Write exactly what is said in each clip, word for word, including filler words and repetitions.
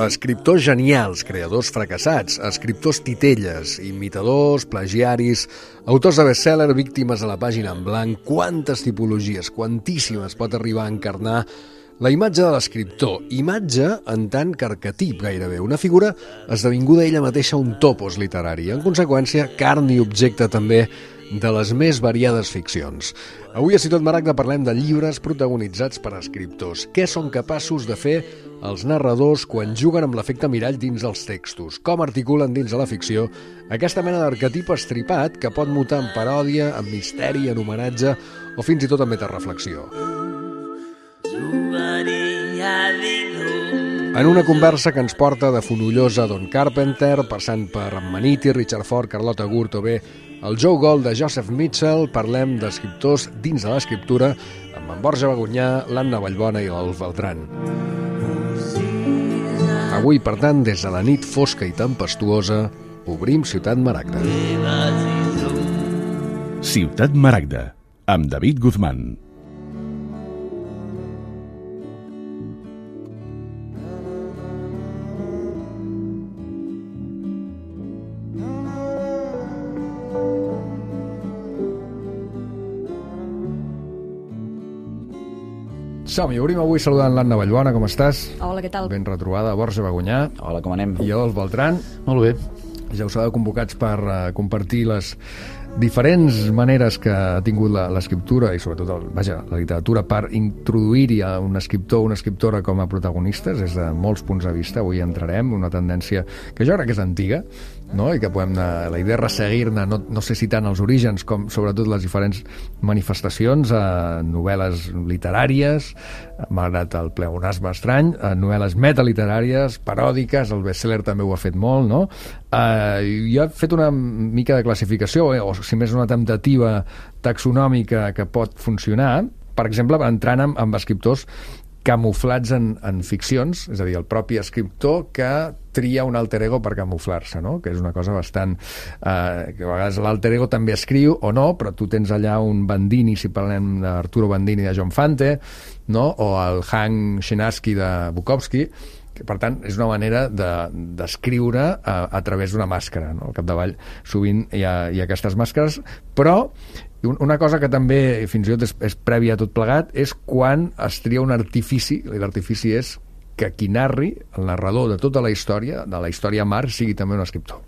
Escriptors genials, creadors fracassats, escriptors titelles, imitadors, plagiaris, autors de best-seller, víctimes a la pàgina en blanc, quantes tipologies, quantíssimes pot arribar a encarnar la imatge de l'escriptor, imatge en tant que arquetip gairebé, una figura esdevinguda ella mateixa un topos literari, en conseqüència carn i objecte també de les més variades ficcions. Avui a Ciutat Maragda parlem de llibres protagonitzats per escriptors. Què són capaços de fer els narradors quan juguen amb l'efecte mirall dins dels textos? Com articulen dins de la ficció aquesta mena d'arquetip estripat que pot mutar en paròdia, en misteri, en homenatge o fins i tot en metareflexió? En una conversa que ens porta de Fonollosa Don Carpenter, passant per Ammaniti, Richard Ford, Carlota Gurt o bé el Joe Gold de Joseph Mitchell, parlem d'escriptors dins de l'escriptura amb en Borja Bagunyà, l'Anna Vallbona i l'Alf Beltran. Avui, per tant, des de la nit fosca i tempestuosa, obrim Ciutat Maragda. Ciutat Maragda, amb David Guzmán. Som-hi, obrim avui saludant l'Anna Vallbona, com estàs? Hola, què tal? Ben retrobada, Borja Bagunyà. Hola, com anem? I jo, el Beltran. Molt bé. Ja us heu convocats per uh, compartir les diferents maneres que ha tingut l'escriptura i sobretot el, vaja, la literatura per introduir-hi a un escriptor o una escriptora com a protagonistes des de molts punts de vista. Avui entrarem en una tendència que jo crec que és antiga, no? I que podem anar, la idea és resseguir-ne, no, no sé si tant els orígens com sobretot les diferents manifestacions, a novel·les literàries, malgrat el pleonasme estrany, a novel·les metaliteràries, paròdiques, el bestseller també ho ha fet molt, no? Uh, jo he fet una mica de classificació, eh, o si més una temptativa taxonòmica que pot funcionar, per exemple, entrant amb, amb escriptors camuflats en, en ficcions, és a dir, el propi escriptor que tria un alter ego per camuflar-se, no? Que és una cosa bastant... Eh, que a vegades l'alter ego també escriu o no, però tu tens allà un Bandini, si parlem d'Arturo Bandini de John Fante, no? O el Hank Chinaski de Bukowski, que per tant és una manera d'escriure de, a, a través d'una màscara, no? Al capdavall sovint hi ha, hi ha aquestes màscares, però una cosa que també fins i tot és, és prèvia a tot plegat és quan es tria un artifici, i l'artifici és que qui narri, el narrador de tota la història, de la història mar, sigui també un escriptor.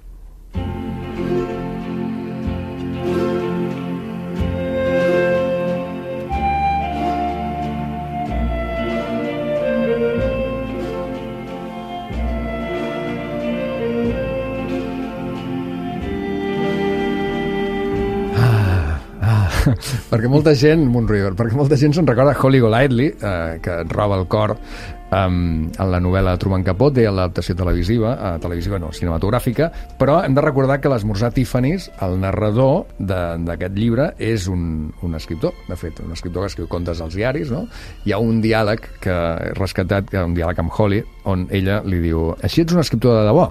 perquè molta gent, Moonriver, perquè molta gent se'n recorda Holly Golightly, eh, que et roba el cor um, en la novel·la Truman Capote, en l'adaptació televisiva, eh, televisiva no, cinematogràfica, però hem de recordar que l'Esmorzar Tiffany's, el narrador d'aquest llibre, és un, un escriptor, de fet, un escriptor que escriu contes als diaris, no? Hi ha un diàleg que he rescatat, que un diàleg amb Holly, on ella li diu: així ets un escriptor de debò?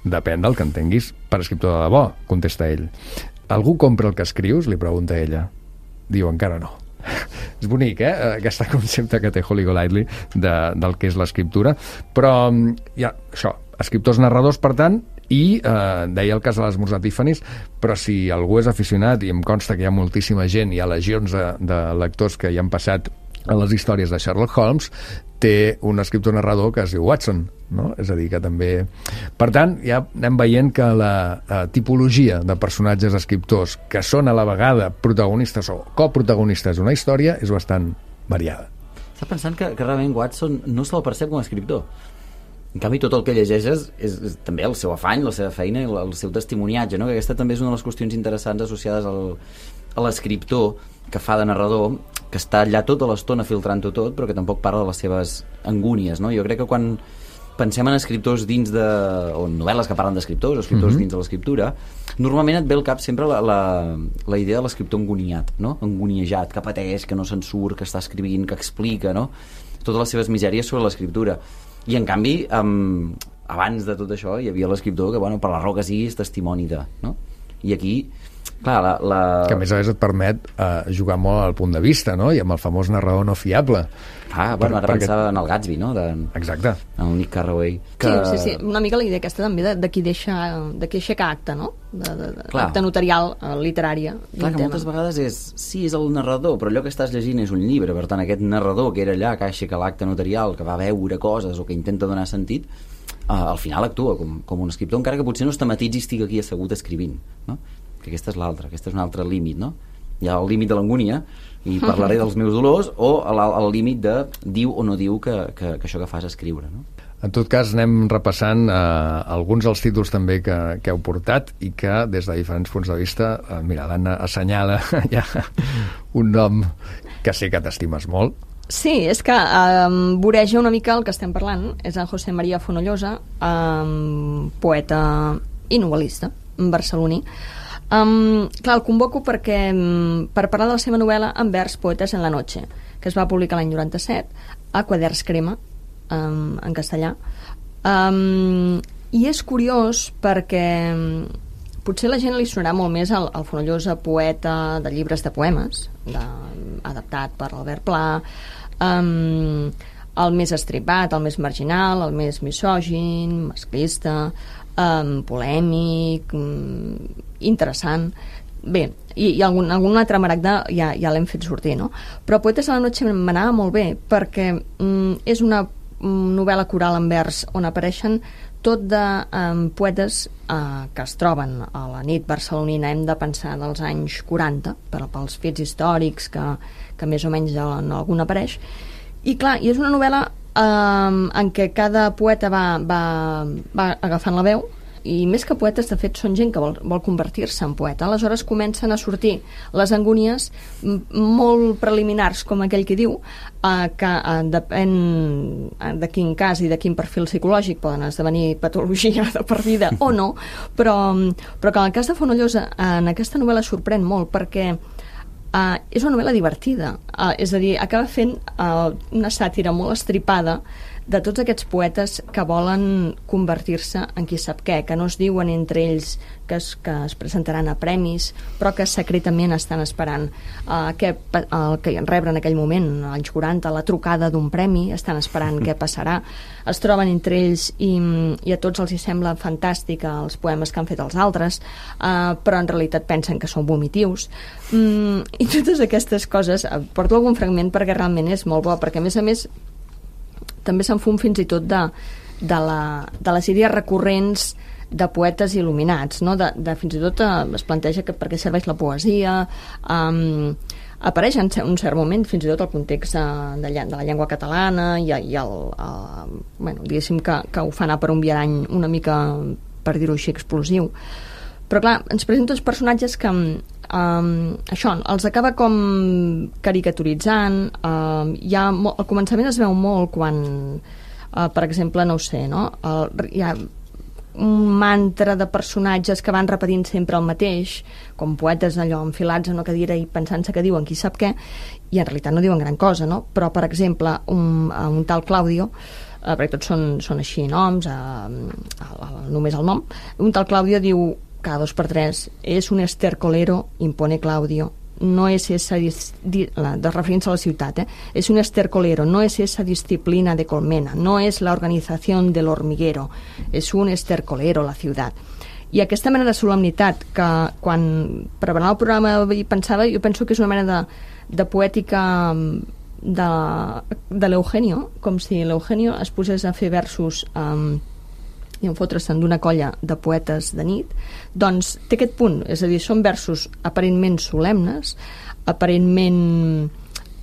Depèn del que entenguis per escriptor de debò, contesta ell. Algú compra el que escrius? Li pregunta ella. Diu, encara no. És bonic, eh? Aquest concepte que té Holly Golightly de, del que és l'escriptura. Però hi ha això, escriptors narradors, per tant, i eh, deia el cas de l'Esmorzar Tiffany's, però si algú és aficionat, i em consta que hi ha moltíssima gent, hi ha legions de, de lectors que hi han passat a les històries de Sherlock Holmes, té un escriptor narrador que es diu Watson, no? És a dir, que també... Per tant, ja anem veient que la, la tipologia de personatges escriptors que són a la vegada protagonistes o coprotagonistes d'una història és bastant variada. Estàs pensant que, que realment Watson no se'l percep com a escriptor. En canvi, tot el que llegeixes és, és també el seu afany, la seva feina i el, el seu testimoniatge, no? Que aquesta també és una de les qüestions interessants associades al, a l'escriptor que fa de narrador, que està allà tota l'estona filtrant-ho tot, però que tampoc parla de les seves angúnies, no? Jo crec que quan pensem en escriptors dins de... o novel·les que parlen d'escriptors, o escriptors mm-hmm. dins de l'escriptura, normalment et ve al cap sempre la, la, la idea de l'escriptor angoniat, no? Angoniejat, que pateix, que no se'n surt, que està escrivint, que explica, no? Totes les seves misèries sobre l'escriptura. I en canvi, um, abans de tot això, hi havia l'escriptor que, bueno, per la raó que sigui, és testimoni de, no? I aquí Clar, la, la... Que a més a més et permet uh, jugar molt al punt de vista, no? I amb el famós narrador no fiable. Ah, bueno, ara perquè... pensava en el Gatsby, no? De... Exacte. En el Nick Carraway. Que... Sí, sí, sí, una mica la idea aquesta també de, de qui deixa, de qui aixeca acte, no? De, de, de, acte notarial, uh, literària. Clar, que tema. Moltes vegades és, sí, és el narrador, però allò que estàs llegint és un llibre, per tant, aquest narrador que era allà, que aixeca l'acte notarial, que va veure coses o que intenta donar sentit, uh, al final actua com, com un escriptor, encara que potser no es tematitzi i estigui aquí assegut escrivint, no? Que aquesta és l'altra, aquesta és un altre límit, no? Hi ha el límit de l'angúnia, i parlaré dels meus dolors, o el, el límit de diu o no diu que, que, que això que fas escriure, no? En tot cas, anem repassant eh, alguns dels títols també que, que heu portat i que, des de diferents punts de vista, eh, mira, l'Anna assenyala ja un nom que sé que t'estimes molt. Sí, és que eh, voreja una mica el que estem parlant. És en José María Fonollosa, eh, poeta i novel·lista barceloní. Um, clar, el convoco perquè um, per parlar de la seva novel·la En vers, poetes en la noche, que es va publicar l'any noranta-set a Quaderns Crema, um, en castellà. Um, I és curiós perquè um, potser la gent li sonarà molt més al, al Fonollosa poeta de llibres de poemes, de, adaptat per Albert Pla, um, el més estripat, el més marginal, el més misògin, masclista, um, polèmic, um, interessant. Bé, i, i algun, algun altre maragda ja, ja l'hem fet sortir, no? Però Poetes a la noche m'anava molt bé perquè um, és una um, novel·la coral en vers on apareixen tot de um, poetes uh, que es troben a la nit barcelonina, hem de pensar dels anys quaranta, per, pels fets històrics que, que més o menys en algun apareix. I clar, i és una novel·la um, en què cada poeta va, va, va agafant la veu, i més que poetes, de fet, són gent que vol, vol convertir-se en poeta. Aleshores comencen a sortir les angúnies molt preliminars, com aquell que diu, eh, que eh, depèn de quin cas i de quin perfil psicològic poden esdevenir patologia de per vida o no, però, però que en el cas de Fonollosa, en aquesta novel·la sorprèn molt perquè eh, és una novel·la divertida, eh, és a dir, acaba fent eh, una sàtira molt estripada de tots aquests poetes que volen convertir-se en qui sap què, que no es diuen entre ells que es, que es presentaran a premis, però que secretament estan esperant uh, que, el que rebre en aquell moment, als quaranta, la trucada d'un premi, estan esperant què passarà, es troben entre ells i, i a tots els hi sembla fantàstic els poemes que han fet els altres, uh, però en realitat pensen que són vomitius. Mm, i totes aquestes coses, uh, porto algun fragment perquè realment és molt bo, perquè a més a més també se'n fum fins i tot de, de, la, de les idees recurrents de poetes il·luminats, no? de, de fins i tot eh, es planteja que per què serveix la poesia, um, apareix en un cert moment fins i tot el context de, de, de la llengua catalana i, i el, el, bueno, diguéssim que, que ho fa anar per un viarany una mica, per dir-ho així, explosiu. Però clar, ens presenta uns personatges que um, això, els acaba com caricaturitzant, um, hi ha, al començament es veu molt quan, uh, per exemple, no ho sé, no? El, hi ha un mantra de personatges que van repetint sempre el mateix, com poetes allò enfilats en una cadira i pensant-se que diuen qui sap què, i en realitat no diuen gran cosa, no? Però, per exemple, un, un tal Claudio, uh, perquè tots són, són així noms, uh, uh, només el nom, un tal Claudio diu cada dos per tres, és un estercolero, impone Claudio, no es esa, di, la, de referència a la ciutat, eh? es un estercolero, no es esa disciplina de colmena, no es la organización del hormiguero, es un estercolero la ciutat. I aquesta mena de solemnitat que quan preparant el programa hi pensava, jo penso que és una mena de, de poètica de, de l'Eugenio, com si l'Eugenio es posés a fer versos um, i en fotre-se'n d'una colla de poetes de nit, doncs té aquest punt, és a dir, són versos aparentment solemnes, aparentment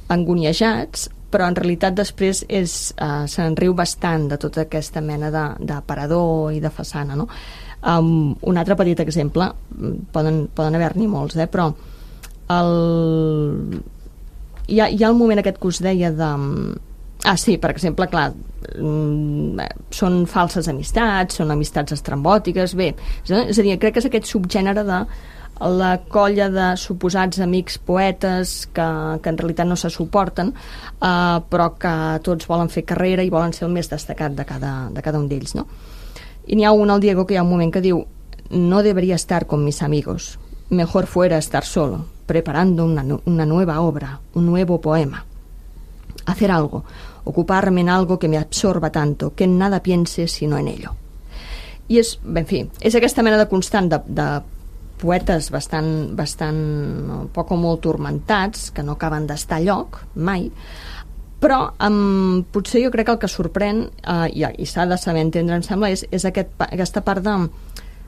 angoniejats, però en realitat després és, uh, se'n riu bastant de tota aquesta mena d'aparador i de façana, no? Um, un altre petit exemple, poden, poden haver-n'hi molts, eh? Però el... hi, ha, hi ha el moment aquest que us deia de... Ah, sí, per exemple, clar, són falses amistats, són amistats estrambòtiques, bé, és a dir, crec que és aquest subgènere de la colla de suposats amics poetes que, que en realitat no se suporten, eh, però que tots volen fer carrera i volen ser el més destacat de cada, de cada un d'ells, no? I n'hi ha un, el Diego, que hi ha un moment que diu no debería estar con mis amigos, mejor fuera estar solo, preparando una, una nueva obra, un nuevo poema. Hacer algo, ocuparme en algo que me absorba tanto, que en nada piense sino en ello. I és, en fi, és aquesta mena de constant de, de poetes bastant, bastant poc o molt turmentats, que no acaben d'estar a lloc, mai, però um, potser jo crec que el que sorprèn, uh, i, i s'ha de saber entendre, em sembla, és, és aquest, aquesta part de,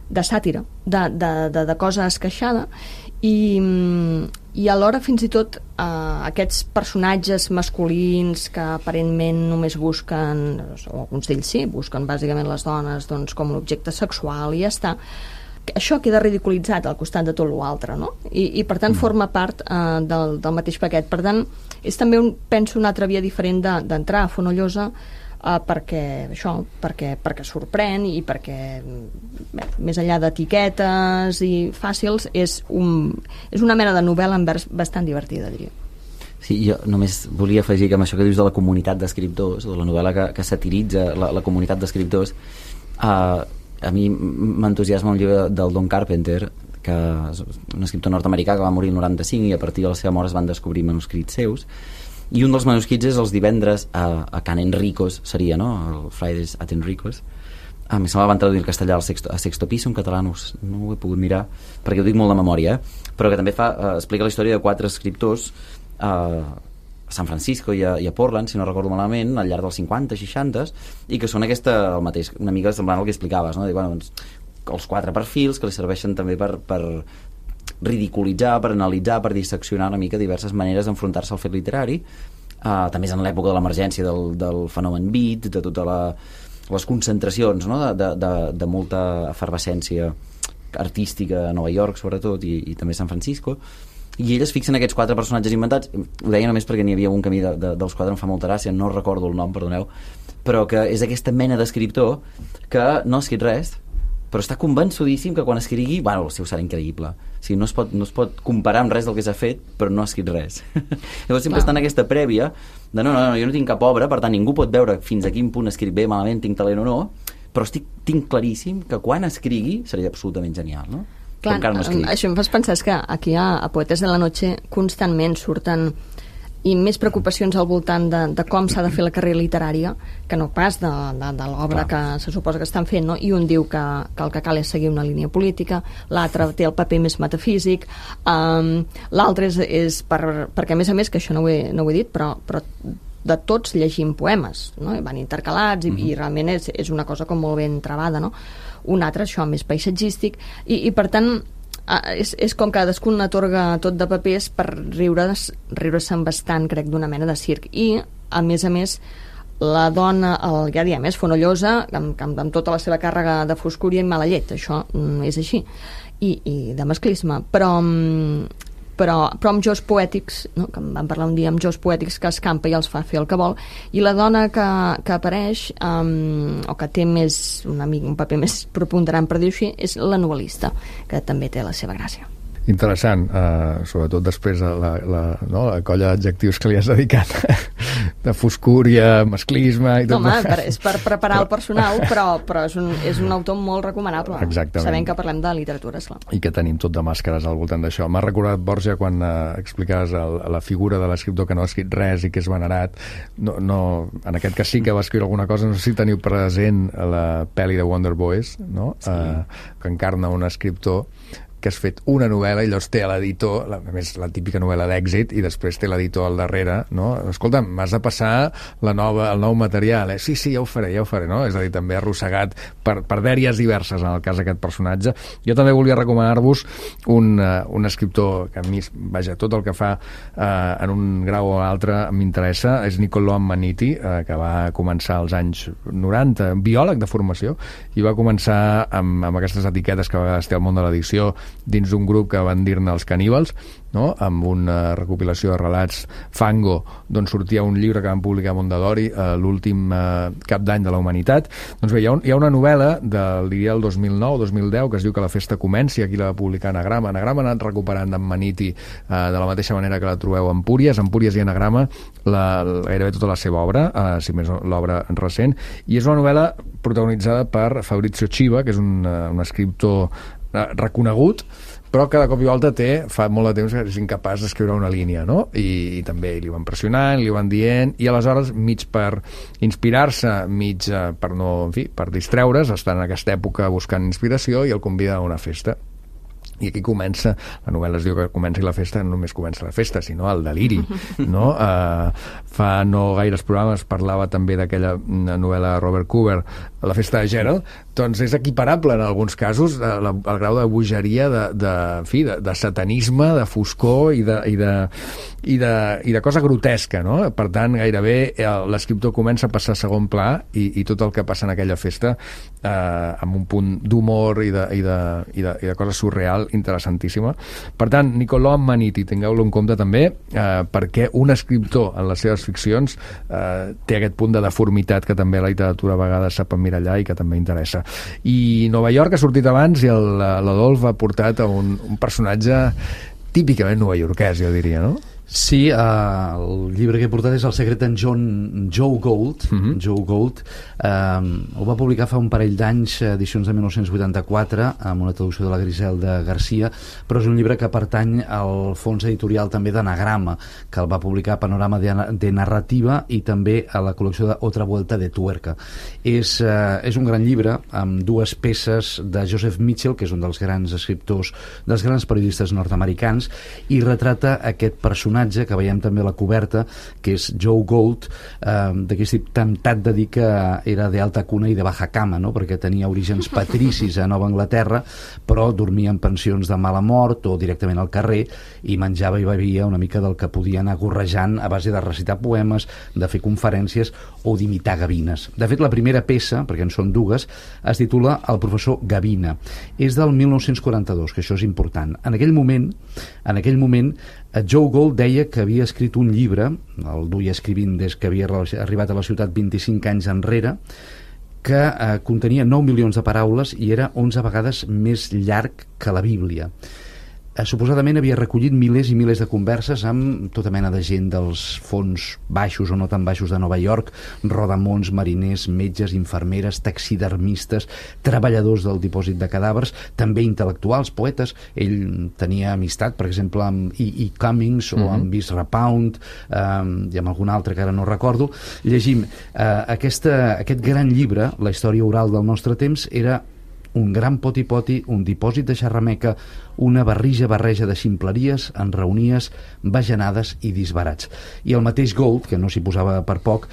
de sàtira, de, de, de, de cosa esqueixada, i, i alhora fins i tot uh, aquests personatges masculins que aparentment només busquen, o alguns d'ells sí, busquen bàsicament les dones doncs, com un objecte sexual i ja està, això queda ridiculitzat al costat de tot l'altre, no? I, i per tant forma part uh, del, del mateix paquet. Per tant, és també, un, penso, una altra via diferent d'entrar de, a Fonollosa, uh, perquè això, perquè, perquè sorprèn i perquè bé, més enllà d'etiquetes i fàcils és, un, és una mena de novel·la en vers bastant divertida, diria. Sí, jo només volia afegir que amb això que dius de la comunitat d'escriptors, de la novel·la que, que satiritza la, la comunitat d'escriptors, uh, a mi m'entusiasma un llibre del Don Carpenter, que és un escriptor nord-americà que va morir el noranta-cinc i a partir de la seva mort es van descobrir manuscrits seus, i un dels manuscrits és els divendres a, a Can Enricos, seria, no? El Fridays at Enricos. A mi se me van traduir el castellà al sexto, a Sexto Piso, en català no, no ho he pogut mirar perquè ho dic molt de memòria, eh? Però que també fa, uh, explica la història de quatre escriptors uh, a San Francisco i a, i a Portland, si no recordo malament, al llarg dels cinquanta, seixanta, i que són aquesta, el mateix, una mica semblant al que explicaves, no? De, bueno, doncs, els quatre perfils que li serveixen també per, per ridiculitzar, per analitzar, per disseccionar una mica diverses maneres d'enfrontar-se al fet literari. Uh, també és en l'època de l'emergència del, del fenomen beat, de totes la, les concentracions, no? de, de, de, de molta efervescència artística a Nova York, sobretot, i, i també a San Francisco. I ell es fixa en aquests quatre personatges inventats. Ho deia només perquè n'hi havia un camí de, de, dels quatre, em fa molta gràcia, no recordo el nom, perdoneu, però que és aquesta mena d'escriptor que no ha escrit res, però està convençudíssim que quan escrigui, bueno, el seu serà increïble. O sigui, no es pot, no es pot comparar amb res del que s'ha fet, però no ha escrit res. Llavors sempre està en aquesta prèvia de no, no, no, jo no tinc cap obra, per tant ningú pot veure fins a quin punt escric bé, malament, tinc talent o no, però estic, tinc claríssim que quan escrigui seria absolutament genial, no? Clar, no això em fas pensar que aquí a, a Poetes de la Noche constantment surten i més preocupacions al voltant de, de com s'ha de fer la carrera literària que no pas de, de, de l'obra que se suposa que estan fent, no? I un diu que, que el que cal és seguir una línia política, l'altre té el paper més metafísic, um, l'altre és, és per, perquè a més a més, que això no ho he, no ho he dit, però, però de tots llegim poemes, no? I van intercalats i, mm-hmm. i realment és, és una cosa com molt ben travada, no? Un altre, això, més paisatgístic, i, i per tant és, és com cadascun atorga tot de papers per riure-se'n riure bastant, crec, d'una mena de circ. I, a més a més, la dona, el, ja diem, és Fonollosa, amb, amb, amb tota la seva càrrega de foscúria i mala llet, això és així, i, i de masclisme, però però, però amb jocs poètics, no? Que en vam parlar un dia amb jocs poètics que escampa i els fa fer el que vol, i la dona que, que apareix um, o que té més un, amic, un paper més preponderant, per dir-ho així, és la novel·lista, que també té la seva gràcia. Interessant, uh, sobretot després de la, la, no, la colla d'adjectius que li has dedicat de foscúria, masclisme i tot. Home, per, és per preparar però... el personal, però, però és, un, és un autor molt recomanable. Exactament. Sabent que parlem de literatura, esclar. I que tenim tot de màscares al voltant d'això. M'ha recordat, Borja, quan uh, explicaves el, la figura de l'escriptor que no ha escrit res i que és venerat. No, no, en aquest cas sí que va escriure alguna cosa. No sé si teniu present la pel·li de Wonder Boys, no? Sí. Uh, que encarna un escriptor que has fet una novel·la i llavors té l'editor, a més la típica novel·la d'èxit, i després té l'editor al darrere, no? Escolta, m'has de passar la nova, el nou material, eh? Sí, sí, ja ho faré, ja ho faré, no? És a dir, també arrossegat per, per dèries diverses en el cas d'aquest personatge. Jo també volia recomanar-vos un, uh, un escriptor que a mi, vaja, tot el que fa uh, en un grau o altre m'interessa, és Niccolo Ammaniti, uh, que va començar als anys noranta, biòleg de formació, i va començar amb, amb aquestes etiquetes que a vegades té el món de l'edició, dins d'un grup que van dir-ne els caníbals, no? Amb una recopilació de relats Fango, d'on sortia un llibre que van publicar a Mondadori, eh, l'últim eh, cap d'any de la humanitat. Doncs bé, hi ha, un, hi ha una novel·la del, diria, el dos mil nou dos mil deu que es diu Que la festa comenci, aquí la va publicar Anagrama. Anagrama ha anat recuperant d'Ammaniti eh, de la mateixa manera que la trobeu a Empúries. Empúries i Anagrama, la, gairebé tota la seva obra, eh, si més l'obra recent, i és una novel·la protagonitzada per Fabrizio Chiva, que és un, uh, un escriptor reconegut, però cada cop i volta té, fa molt de temps que és incapaç d'escriure una línia, no? I, i també li van pressionant, li van dient, i aleshores, mig per inspirar-se, mig per no, en fi, per distreure's, està en aquesta època buscant inspiració i el convida a una festa. I aquí comença, la novel·la es diu que comenci la festa, no només comença la festa, sinó el deliri, no? Uh, fa no gaires programes parlava també d'aquella novel·la de Robert Cooper, La festa de Gerald, doncs és equiparable en alguns casos al grau de bogeria, de, de, en fi, de, de satanisme, de foscor i de, i de, i de, i de cosa grotesca, no? Per tant, gairebé l'escriptor comença a passar a segon pla i, i tot el que passa en aquella festa eh, amb un punt d'humor i de, i, de, i, de, i de cosa surreal interessantíssima. Per tant, Niccolò Ammaniti, tingueu-lo en compte també, eh, perquè un escriptor en les seves ficcions eh, té aquest punt de deformitat que també la literatura a vegades sap emmirallar i que també interessa. I Nova York ha sortit abans i l'Adolf ha portat a un, un personatge típicament novaiorquès, jo diria, no? Sí, uh, el llibre que he portat és El secret d'en John Joe Gould. Uh-huh. Joe Gould uh, ho va publicar fa un parell d'anys, edicions de mil nou-cents vuitanta-quatre, amb una traducció de la Griselda Garcia, però és un llibre que pertany al fons editorial també d'Anagrama, que el va publicar a Panorama de, de Narrativa i també a la col·lecció de Otra Vuelta de Tuerca. És, uh, és un gran llibre amb dues peces de Joseph Mitchell, que és un dels grans escriptors, dels grans periodistes nord-americans, i retrata aquest personatge que veiem també a la coberta, que és Joe Gould, eh, d'aquí estic temptat de dir que era d'alta cuna i de baja cama, no? Perquè tenia orígens patricis a Nova Anglaterra, però dormia en pensions de mala mort o directament al carrer i menjava i bevia una mica del que podia anar gorrejant a base de recitar poemes, de fer conferències o d'imitar gavines. De fet, la primera peça, perquè en són dues, es titula El professor Gavina. És del mil nou-cents quaranta-dos, que això és important. En aquell moment, en aquell moment Joe Gould deia que havia escrit un llibre, el duia escrivint des que havia arribat a la ciutat vint-i-cinc anys enrere, que eh, contenia nou milions de paraules i era onze vegades més llarg que la Bíblia. Eh, suposadament havia recollit milers i milers de converses amb tota mena de gent dels fons baixos o no tan baixos de Nova York, rodamons, mariners, metges, infermeres, taxidermistes, treballadors del dipòsit de cadàvers, també intel·lectuals, poetes. Ell tenia amistat, per exemple, amb E. E. Cummings o amb Ezra Pound, eh, i amb algun altre que ara no recordo. Llegim, eh, aquesta, aquest gran llibre, La història oral del nostre temps, era un gran poti-poti, un dipòsit de xerrameca, una barrija barreja de ximpleries, enraonies, bajanades i disbarats. I el mateix Gould, que no s'hi posava per poc,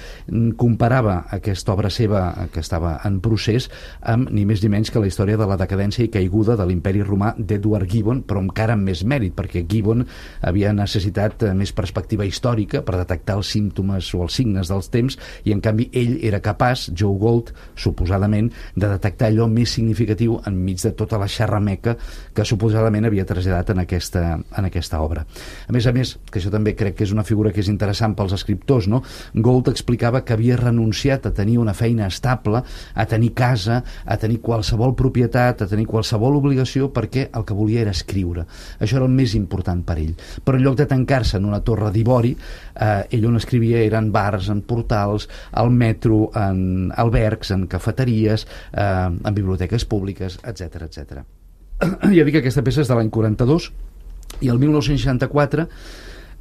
comparava aquesta obra seva, que estava en procés, amb ni més ni menys que la història de la decadència i caiguda de l'imperi romà d'Edward Gibbon, però encara amb més mèrit, perquè Gibbon havia necessitat més perspectiva històrica per detectar els símptomes o els signes dels temps, i en canvi ell era capaç, Joe Gould, suposadament, de detectar allò més significatiu enmig de tota la xerrameca que suposadament havia traslladat en aquesta, en aquesta obra. A més a més, que això també crec que és una figura que és interessant pels escriptors, no? Gould explicava que havia renunciat a tenir una feina estable, a tenir casa, a tenir qualsevol propietat, a tenir qualsevol obligació, perquè el que volia era escriure. Això era el més important per ell. Però en lloc de tancar-se en una torre d'ivori, eh, ell on escrivia eren bars, en portals, al metro, en albergs, en cafeteries, eh, en biblioteques públiques, etcètera, etcètera. Ja dic que aquesta peça és de l'any quaranta-dos i el mil nou-cents seixanta-quatre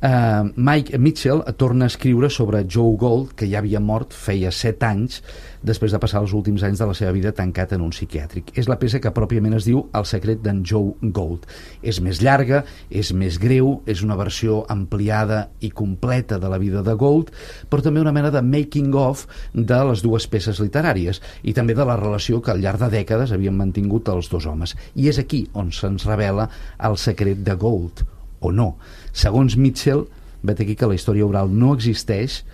eh, Mike Mitchell torna a escriure sobre Joe Gould, que ja havia mort feia set anys després de passar els últims anys de la seva vida tancat en un psiquiàtric. És la peça que pròpiament es diu El secret d'en Joe Gould. És més llarga, és més greu, és una versió ampliada i completa de la vida de Gould, però també una mena de making of de les dues peces literàries i també de la relació que al llarg de dècades havien mantingut els dos homes. I és aquí on se'ns revela el secret de Gould, o no. Segons Mitchell, vet aquí que la història oral no existeix.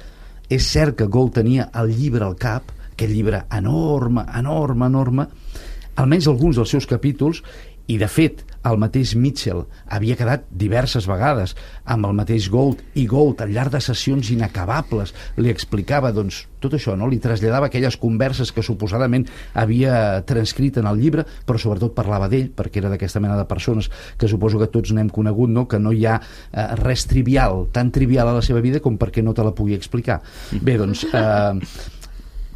És cert que Gould tenia el llibre al cap, aquest llibre enorme, enorme, enorme, almenys alguns dels seus capítols, i de fet el mateix Mitchell havia quedat diverses vegades amb el mateix Gould, i Gould al llarg de sessions inacabables li explicava doncs tot això, no? Li traslladava aquelles converses que suposadament havia transcrit en el llibre, però sobretot parlava d'ell, perquè era d'aquesta mena de persones que suposo que tots n'hem conegut, no? Que no hi ha eh, res trivial, tan trivial a la seva vida com perquè no te la pugui explicar. Bé, doncs eh,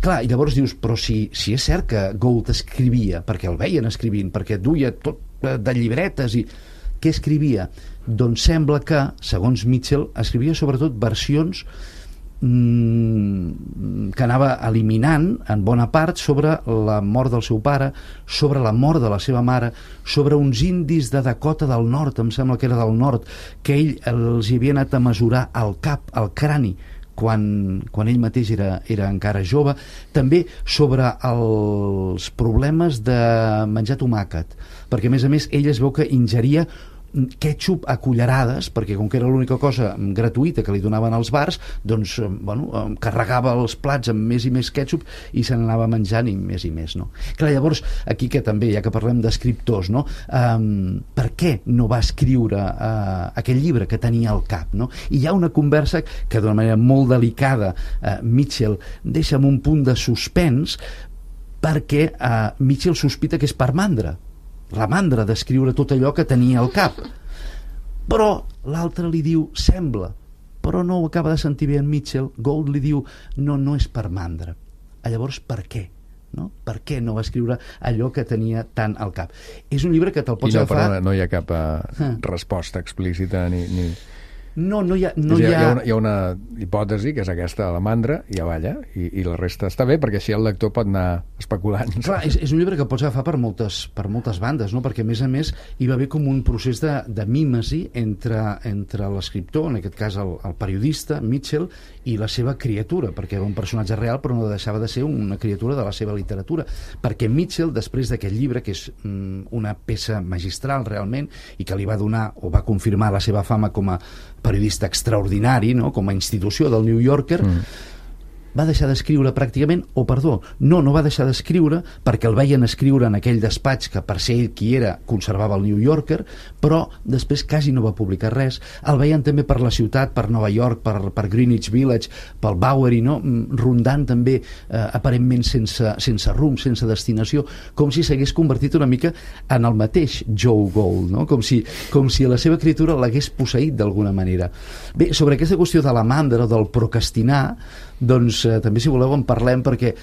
clar, i llavors dius, però si, si és cert que Gould escrivia, perquè el veien escrivint, perquè duia tot, de llibretes i... Què escrivia? Doncs sembla que, segons Mitchell, escrivia sobretot versions mmm, que anava eliminant en bona part sobre la mort del seu pare, sobre la mort de la seva mare, sobre uns indis de Dakota del Nord, em sembla que era del nord, que ell els hi havia anat a mesurar el cap, el crani, quan, quan ell mateix era, era encara jove, també sobre els problemes de menjar tomàquet, perquè a més a més ell es veu que ingeria ketchup a cullerades, perquè com que era l'única cosa gratuïta que li donaven als bars, doncs, bueno, carregava els plats amb més i més ketchup i se n'anava menjant i més i més, no? Clar, llavors, aquí que també, ja que parlem d'escriptors, no? Um, per què no va escriure uh, aquell llibre que tenia al cap, no? I hi ha una conversa que d'una manera molt delicada uh, Mitchell deixa amb un punt de suspens, perquè uh, Mitchell sospita que és per mandra, la mandra d'escriure tot allò que tenia al cap. Però l'altre li diu, sembla, però no ho acaba de sentir bé en Mitchell. Gould li diu, no, no és per mandra. Llavors, per què? No? Per què no va escriure allò que tenia tant al cap? És un llibre que te'l pots I no, agafar... perdona, no hi ha cap uh, resposta explícita ni... ni... No, no hi ha... No hi, ha, hi, ha... hi, ha una, hi ha una hipòtesi, que és aquesta de la mandra, i ja balla, i, i la resta està bé, perquè així el lector pot anar especulant. Clar, és, és un llibre que pots agafar per moltes, per moltes bandes, no? Perquè a més a més hi va haver com un procés de, de mímesi entre, entre l'escriptor, en aquest cas el, el periodista, Mitchell, i la seva criatura, perquè era un personatge real però no deixava de ser una criatura de la seva literatura, perquè Mitchell, després d'aquest llibre, que és mm, una peça magistral realment, i que li va donar o va confirmar la seva fama com a periodista extraordinari, no? Com a institució del New Yorker, mm. va deixar d'escriure pràcticament, o perdó, no, no va deixar d'escriure perquè el veien escriure en aquell despatx que per ser ell qui era conservava el New Yorker, però després quasi no va publicar res. El veien també per la ciutat, per Nova York, per, per Greenwich Village, pel Bowery, no? Rondant també eh, aparentment sense, sense rumb, sense destinació, com si s'hagués convertit una mica en el mateix Joe Gould, no? Com si, com si la seva escriptura l'hagués posseït d'alguna manera. Bé, sobre aquesta qüestió de la mandra, del procrastinar, doncs eh, també si voleu en parlem, perquè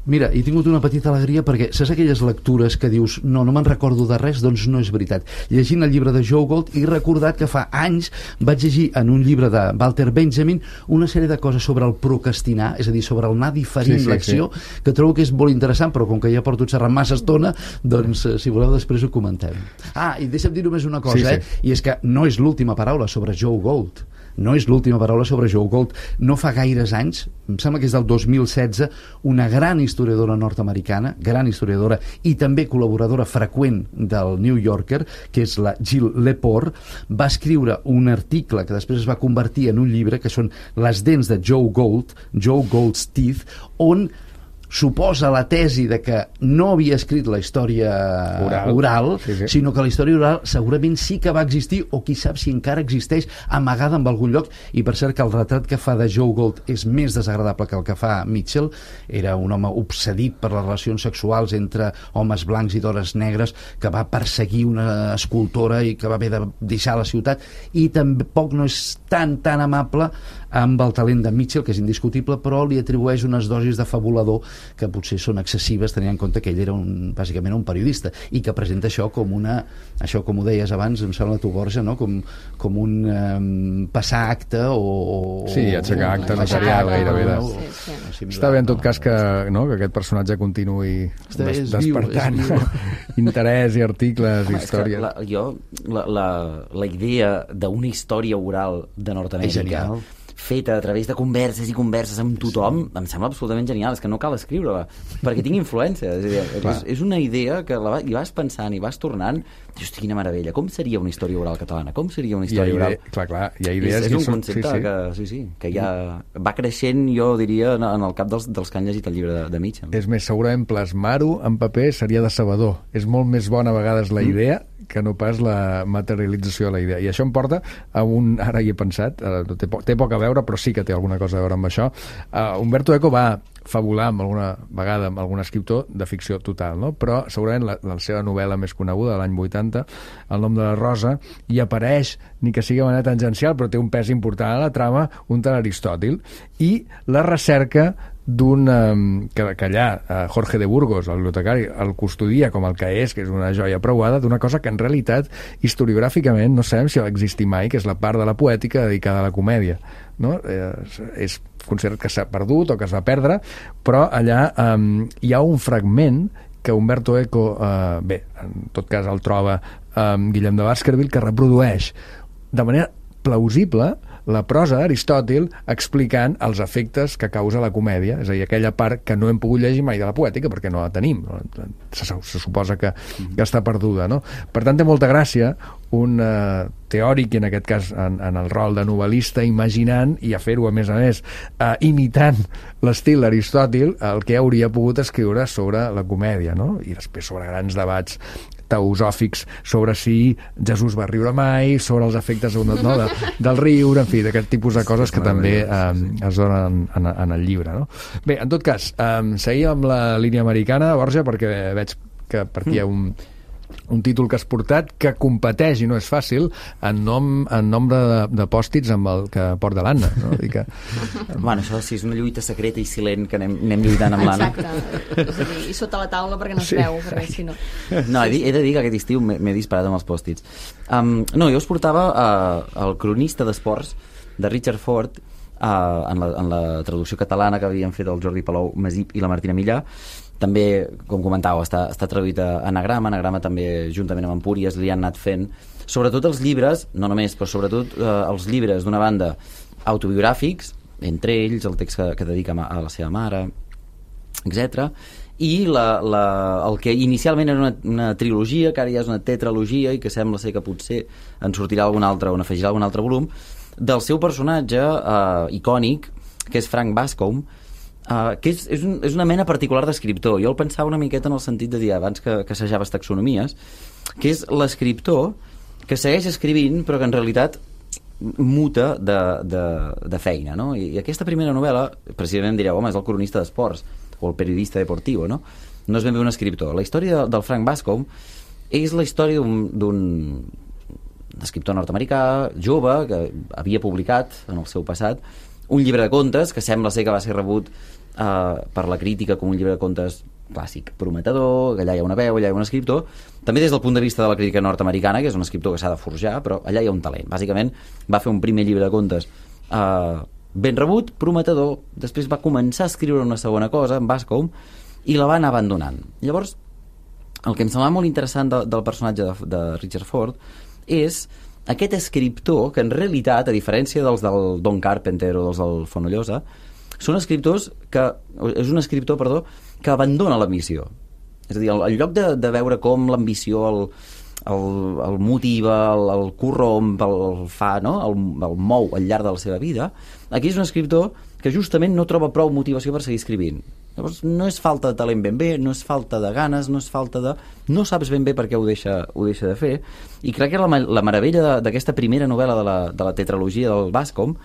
mira, he tingut una petita alegria perquè saps aquelles lectures que dius no, no me'n recordo de res, doncs no és veritat. Llegint el llibre de Joe Gould he recordat que fa anys vaig llegir en un llibre de Walter Benjamin una sèrie de coses sobre el procrastinar, és a dir, sobre el anar diferint sí, sí, l'acció, sí. Que trobo que és molt interessant, però com que ja porto xerrant massa estona, doncs si voleu després ho comentem. Ah, i deixa'm dir només una cosa, sí, sí. eh? I és que no és l'última paraula sobre Joe Gould. No és l'última paraula sobre Joe Gould. No fa gaires anys, em sembla que és del dos mil setze, una gran historiadora nord-americana, gran historiadora i també col·laboradora freqüent del New Yorker, que és la Jill Lepore, va escriure un article que després es va convertir en un llibre, que són Les dents de Joe Gould, Joe Gould's Teeth, on suposa la tesi de que no havia escrit la història oral, oral sí, sí. sinó que la història oral segurament sí que va existir, o qui sap si encara existeix amagada en algun lloc. I per cert que el retrat que fa de Joe Gould és més desagradable que el que fa Mitchell. Era un home obsedit per les relacions sexuals entre homes blancs i dones negres, que va perseguir una escultora i que va haver de deixar la ciutat, i tampoc no és tan tan amable amb el talent de Mitchell, que és indiscutible, però li atribueix unes dosis de fabulador que potser són excessives, tenint en compte que ell era un, bàsicament un periodista, i que presenta això com una, això com ho deies abans, em sembla tu, Borja, no? com, com un um, passar acte o... o sí, aixecar acte notarial gairebé. De... Sí, sí. Està bé en tot cas que, no, que aquest personatge continuï des, despertant viu, interès i articles i històries. La, jo, la, la, la idea d'una història oral de Nord-Amèrica feta a través de converses i converses amb tothom, sí. Em sembla absolutament genial. És que no cal escriure-la, perquè tinc influència. És, dir, és, és una idea que la, hi vas pensant i vas tornant, dius, quina meravella, com seria una història oral catalana? Com seria una història oral? Clar, clar, hi ha idees... És, és un concepte sí, sí. que, sí, sí, que ja va creixent, jo diria, en el cap dels, dels que han llegit el llibre de, de Mitchell. És més, segurament plasmar-ho en paper seria decebedor. És molt més bona a vegades la idea mm. que no pas la materialització de la idea. I això em porta a un... Ara hi he pensat, té, po té poc a veure, però sí que té alguna cosa a veure amb això. Uh, Umberto Eco va fabular amb alguna vegada amb algun escriptor de ficció total, no? Però segurament la, la seva novel·la més coneguda de l'any vuitanta, El nom de la rosa, hi apareix, ni que sigui de manera tangencial, però té un pes important a la trama, un tal Aristòtil, i la recerca d'un... Um, que, que allà uh, Jorge de Burgos, el bibliotecari, el custodia com el que és, que és una joia preuada, d'una cosa que en realitat historiogràficament no sabem si va existir mai, que és la part de la poètica dedicada a la comèdia, no? Eh, és considerat que s'ha perdut o que es va perdre, però allà um, hi ha un fragment que Umberto Eco, uh, bé, en tot cas el troba um, Guillem de Baskerville, que reprodueix de manera plausible la prosa d'Aristòtil explicant els efectes que causa la comèdia, és a dir, aquella part que no hem pogut llegir mai de la poètica perquè no la tenim, no? Se, se suposa que, que està perduda, no? Per tant, té molta gràcia un uh, teòric, i en aquest cas en, en el rol de novel·lista, imaginant, i a fer-ho a més a més uh, imitant l'estil d'Aristòtil, el que hauria pogut escriure sobre la comèdia, no? I després sobre grans debats teosòfics sobre si Jesús va riure mai, sobre els efectes no, de, del riure, en fi, d'aquest tipus de coses que també um, es donen en, en el llibre, no? Bé, en tot cas, um, seguim amb la línia americana, Borja, perquè veig que per aquí hi ha un, un títol que has portat que competeix, i no és fàcil, en, nom, en nombre de, de pòstits amb el que porta l'Anna, no? I, que... bueno, això sí, és una lluita secreta i silent que anem, anem lluitant amb l'Anna. Exacte, és a dir, i sota la taula perquè no es sí. veu, perquè si no... No, he, he de dir que aquest estiu m'he disparat amb els pòstits. Um, no, jo us portava uh, el cronista d'esports de Richard Ford, uh, en, la, en la traducció catalana que havien fet el Jordi Palou Masip i la Martina Millà. També, com comentàveu, està, està traduït a Anagrama. Anagrama també, juntament amb Empúries, li han anat fent, sobretot els llibres, no només, però sobretot eh, els llibres d'una banda autobiogràfics, entre ells el text que, que dedica a la seva mare, etcètera. I la, la, el que inicialment era una, una trilogia, que ara ja és una tetralogia, i que sembla ser que potser en sortirà algun altre, o en afegirà algun altre volum, del seu personatge eh, icònic, que és Frank Bascombe, Uh, que és, és, un, és una mena particular d'escriptor. Jo el pensava una miqueta en el sentit de dir, abans que, que assajaves taxonomies, que és l'escriptor que segueix escrivint però que en realitat muta de, de, de feina, no? I, I aquesta primera novel·la, precisament direu, home, és el cronista d'esports o el periodista deportiu, no? No és ben bé un escriptor. La història del Frank Bascombe és la història d'un escriptor nord-americà jove que havia publicat en el seu passat un llibre de contes que sembla ser que va ser rebut uh, per la crítica com un llibre de contes clàssic, prometedor, que allà hi ha una veu, allà hi ha un escriptor, també des del punt de vista de la crítica nord-americana, que és un escriptor que s'ha de forjar, però allà hi ha un talent. Bàsicament va fer un primer llibre de contes uh, ben rebut, prometedor, després va començar a escriure una segona cosa, en Bascombe, i la va anar abandonant. Llavors, el que em semblava molt interessant de, del personatge de, de Richard Ford és aquest escriptor que en realitat, a diferència dels del Don Carpenter o dels del Fonollosa, són escriptors que, és un escriptor, perdó, que abandona l'ambició. És a dir, en lloc de, de veure com l'ambició el, el, el motiva, el, el corromp, el, el fa, no? el, el mou al llarg de la seva vida, aquí és un escriptor que justament no troba prou motivació per seguir escrivint. Llavors, no és falta de talent ben bé, no és falta de ganes, no és falta de... No saps ben bé per què ho deixa, ho deixa de fer. I crec que la, la meravella d'aquesta primera novel·la de la, de la tetralogia del Bascombe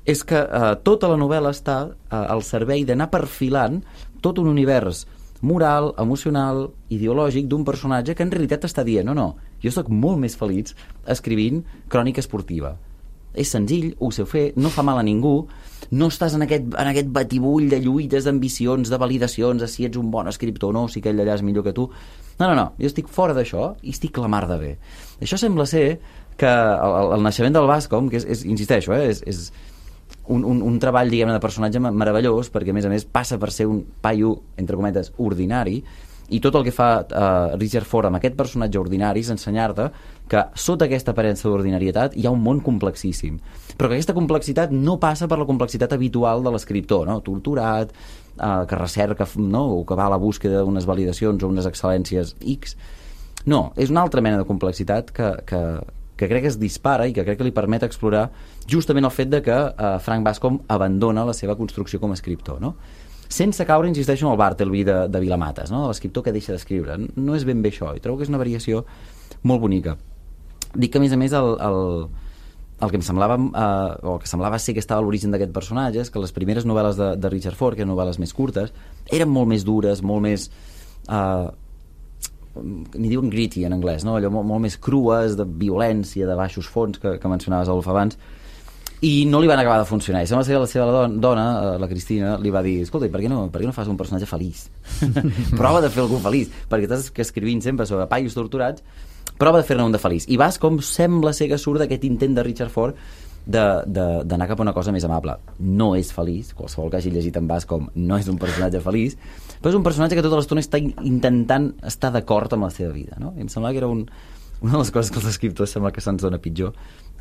és que eh, tota la novel·la està eh, al servei d'anar perfilant tot un univers moral, emocional, ideològic d'un personatge que en realitat està dient no, no, jo sóc molt més feliç escrivint crònica esportiva. És senzill, ho sé fer, no fa mal a ningú, no estàs en aquest, en aquest batibull de lluites, d'ambicions, de validacions, de si ets un bon escriptor o no, si aquell allà és millor que tu. No, no, no, jo estic fora d'això i estic la mar de bé. Això sembla ser que el, el naixement del Bascombe, que és, és insisteixo, eh, és, és un, un, un treball, diguem-ne, de personatge meravellós, perquè a més a més passa per ser un paio, entre cometes, ordinari, i tot el que fa uh, Richard Ford amb aquest personatge ordinari és ensenyar-te que sota aquesta aparença d'ordinarietat hi ha un món complexíssim, però que aquesta complexitat no passa per la complexitat habitual de l'escriptor, no? Torturat, uh, que recerca, no? O que va a la búsqueda d'unes validacions o unes excel·lències X. No, és una altra mena de complexitat que, que, que crec que es dispara i que crec que li permet explorar justament el fet de que uh, Frank Bascombe abandona la seva construcció com a escriptor, no? Sense caure, insisteixo, en el Bartleby de, de Vilamates, no? L'escriptor que deixa d'escriure. No és ben bé això, i trobo que és una variació molt bonica. Dic que, a més a més, el, el, el que em semblava, eh, o el que semblava ser que estava a l'origen d'aquest personatge és que les primeres novel·les de, de Richard Ford, que eren novel·les més curtes, eren molt més dures, molt més... Eh, n'hi diuen gritty en anglès, no? Allò molt, molt més crues, de violència, de baixos fons, que, que mencionaves, Adolf, abans. i no li van acabar de funcionar, i sembla ser que la seva dona, la Cristina, li va dir, escolta, per què no, per què no fas un personatge feliç? Prova de fer algú feliç, perquè estàs escrivint sempre sobre paios torturats, prova de fer-ne un de feliç, i vas com sembla ser que surt d'aquest intent de Richard Ford d'anar cap a una cosa més amable. No és feliç, qualsevol que hagi llegit en Bascom no és un personatge feliç, però és un personatge que tota l'estona està intentant estar d'acord amb la seva vida, no? I em sembla que era un, una de les coses que els escriptors sembla que se'ns dona pitjor,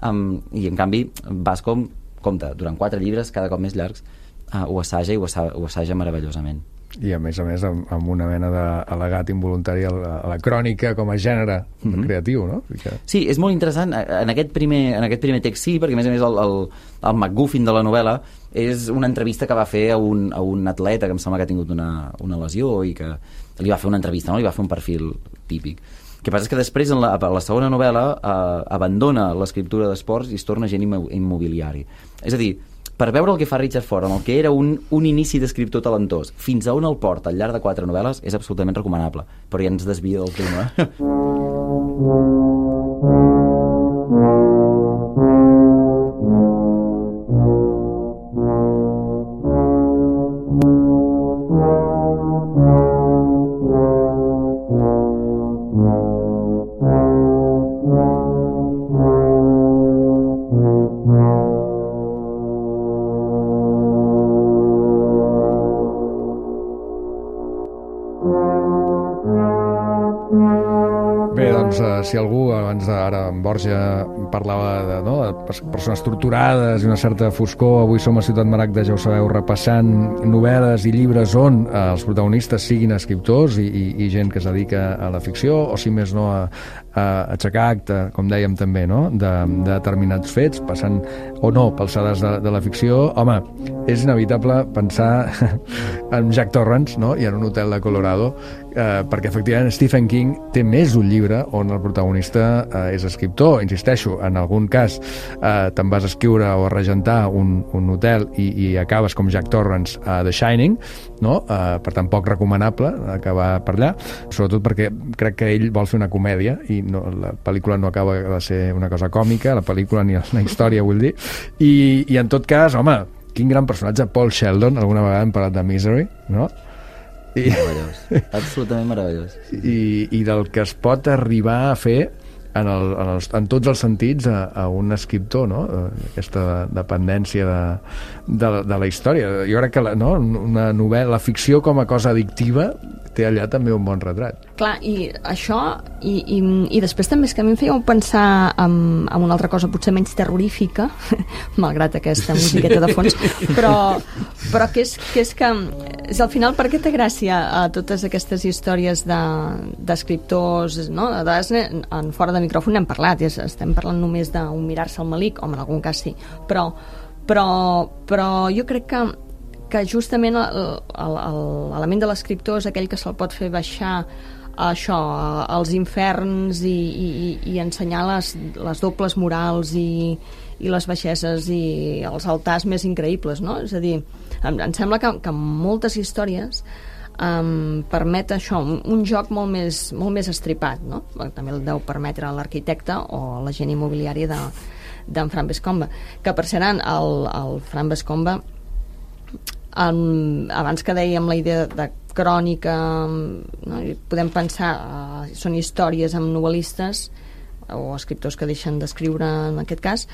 um, i en canvi Bascom, compte, durant quatre llibres cada cop més llargs, uh, ho assaja i ho assaja, ho assaja meravellosament. I a més a més amb, amb una mena d'al·legat involuntari a la, a la crònica com a gènere mm-hmm. creatiu, no? Que... Sí, és molt interessant en aquest primer, en aquest primer text, sí, perquè a més a més el, el, el MacGuffin de la novel·la és una entrevista que va fer a un, a un atleta que em sembla que ha tingut una, una lesió i que li va fer una entrevista, no? Li va fer un perfil típic. El que passa és que després, en la, a la segona novel·la, eh, abandona l'escriptura d'esports i es torna gent immobiliari. És a dir, per veure el que fa Richard Ford amb el que era un, un inici d'escriptor talentós fins a on el porta al llarg de quatre novel·les és absolutament recomanable, però ja ens desvia del tema. Si algú, abans d'ara en Borja parlava de, no, de persones torturades i una certa foscor, avui som a Ciutat Maragda, ja ho sabeu, repassant novel·les i llibres on eh, els protagonistes siguin escriptors i, i, i gent que es dedica a la ficció, o si més no a, a aixecar acte, com dèiem també, no? de, de determinats fets, passant o no pelsades de, de la ficció. Home, és inevitable pensar en Jack Torrance, no? I en un hotel de Colorado, eh, perquè efectivament Stephen King té més d'un llibre on el protagonista eh, és escriptor. Insisteixo, en algun cas eh, te'n vas escriure o a regentar un, un hotel i, i acabes com Jack Torrance a The Shining, no? Eh, per tant poc recomanable acabar per allà, sobretot perquè crec que ell vol fer una comèdia i no, la pel·lícula no acaba de ser una cosa còmica, la pel·lícula ni la història, vull dir, i, i en tot cas, home, quin gran personatge, Paul Sheldon, alguna vegada hem parlat de Misery, no? I, meravellós, absolutament meravellós. I, i del que es pot arribar a fer en, el, en, els, en tots els sentits a, a un escriptor, no? Aquesta dependència de, de, de la història. Jo crec que la, no? una novel·la, la ficció com a cosa addictiva té allà també un bon retrat. Clar, i això, i, i, i després també és que a mi em fèieu pensar en, en una altra cosa potser menys terrorífica, malgrat aquesta musiqueta de fons, però, però que, és, que és que és al final per què té gràcia a totes aquestes històries d'escriptors, de, no? De, en, en fora de micròfon n'hem parlat, és, estem parlant només d'un mirar-se al malic, home, en algun cas sí, però, però, però jo crec que que justament l'element de l'escriptor és aquell que se'l pot fer baixar a això, als inferns i, i, i ensenyar les, les dobles morals i, i les baixeses i els altars més increïbles, no? És a dir, em, em sembla que, que moltes històries um, permet això, un, un joc molt més, molt més estripat, no? També el deu permetre l'arquitecte o la gent immobiliària de, d'en Frank Vescombe, que per cert el, el Frank Vescombe Um, abans que dèiem la idea de crònica, no? Podem pensar uh, són històries amb novel·listes o escriptors que deixen d'escriure en aquest cas,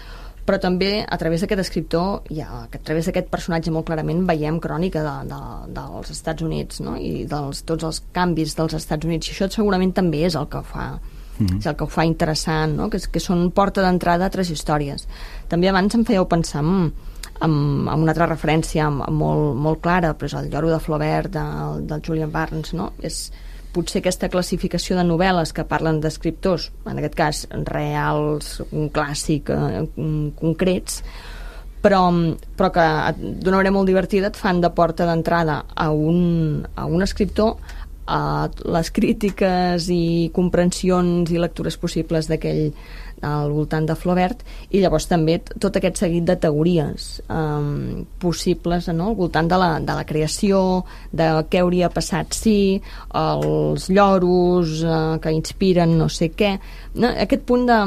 però també a través d'aquest escriptor ja, a través d'aquest personatge molt clarament veiem crònica de, de, dels Estats Units, no? I dels, tots els canvis dels Estats Units, i això segurament també és el que fa mm-hmm. és el que ho fa interessant, no? que, que són porta d'entrada a altres històries. També abans em fèieu pensar amb, amb, amb una altra referència molt, molt clara, però és el Lloro de Flaubert del, del Julian Barnes, no? És potser aquesta classificació de novel·les que parlen d'escriptors, en aquest cas reals, un clàssic, eh, concrets, però, però que d'una manera molt divertida et fan de porta d'entrada a un, a un escriptor, a les crítiques i comprensions i lectures possibles d'aquell al voltant de Flaubert, i llavors també tot aquest seguit de teories um, possibles, no? Al voltant de la, de la creació, de què hauria passat si, els lloros uh, que inspiren no sé què, no? Aquest punt de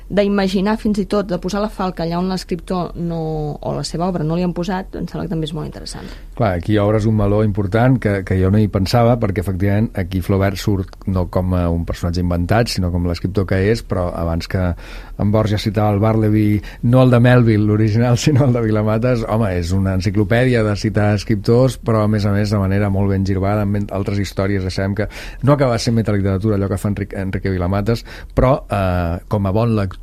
d'imaginar fins i tot, de posar la falca allà on l'escriptor no, o la seva obra no li han posat, em sembla que també és molt interessant. Clar, aquí obres un meló important que, que jo no hi pensava, perquè efectivament aquí Flaubert surt no com a un personatge inventat, sinó com l'escriptor que és, però abans que en Borges citava el Bartleby, no el de Melville, l'original, sinó el de Vilamatas, home, és una enciclopèdia de citar escriptors, però a més a més de manera molt ben girbada, amb altres històries, ja sabem que no acaba sent metaliteratura allò que fa Enrique, Enrique Vilamatas, però eh, com a bon lector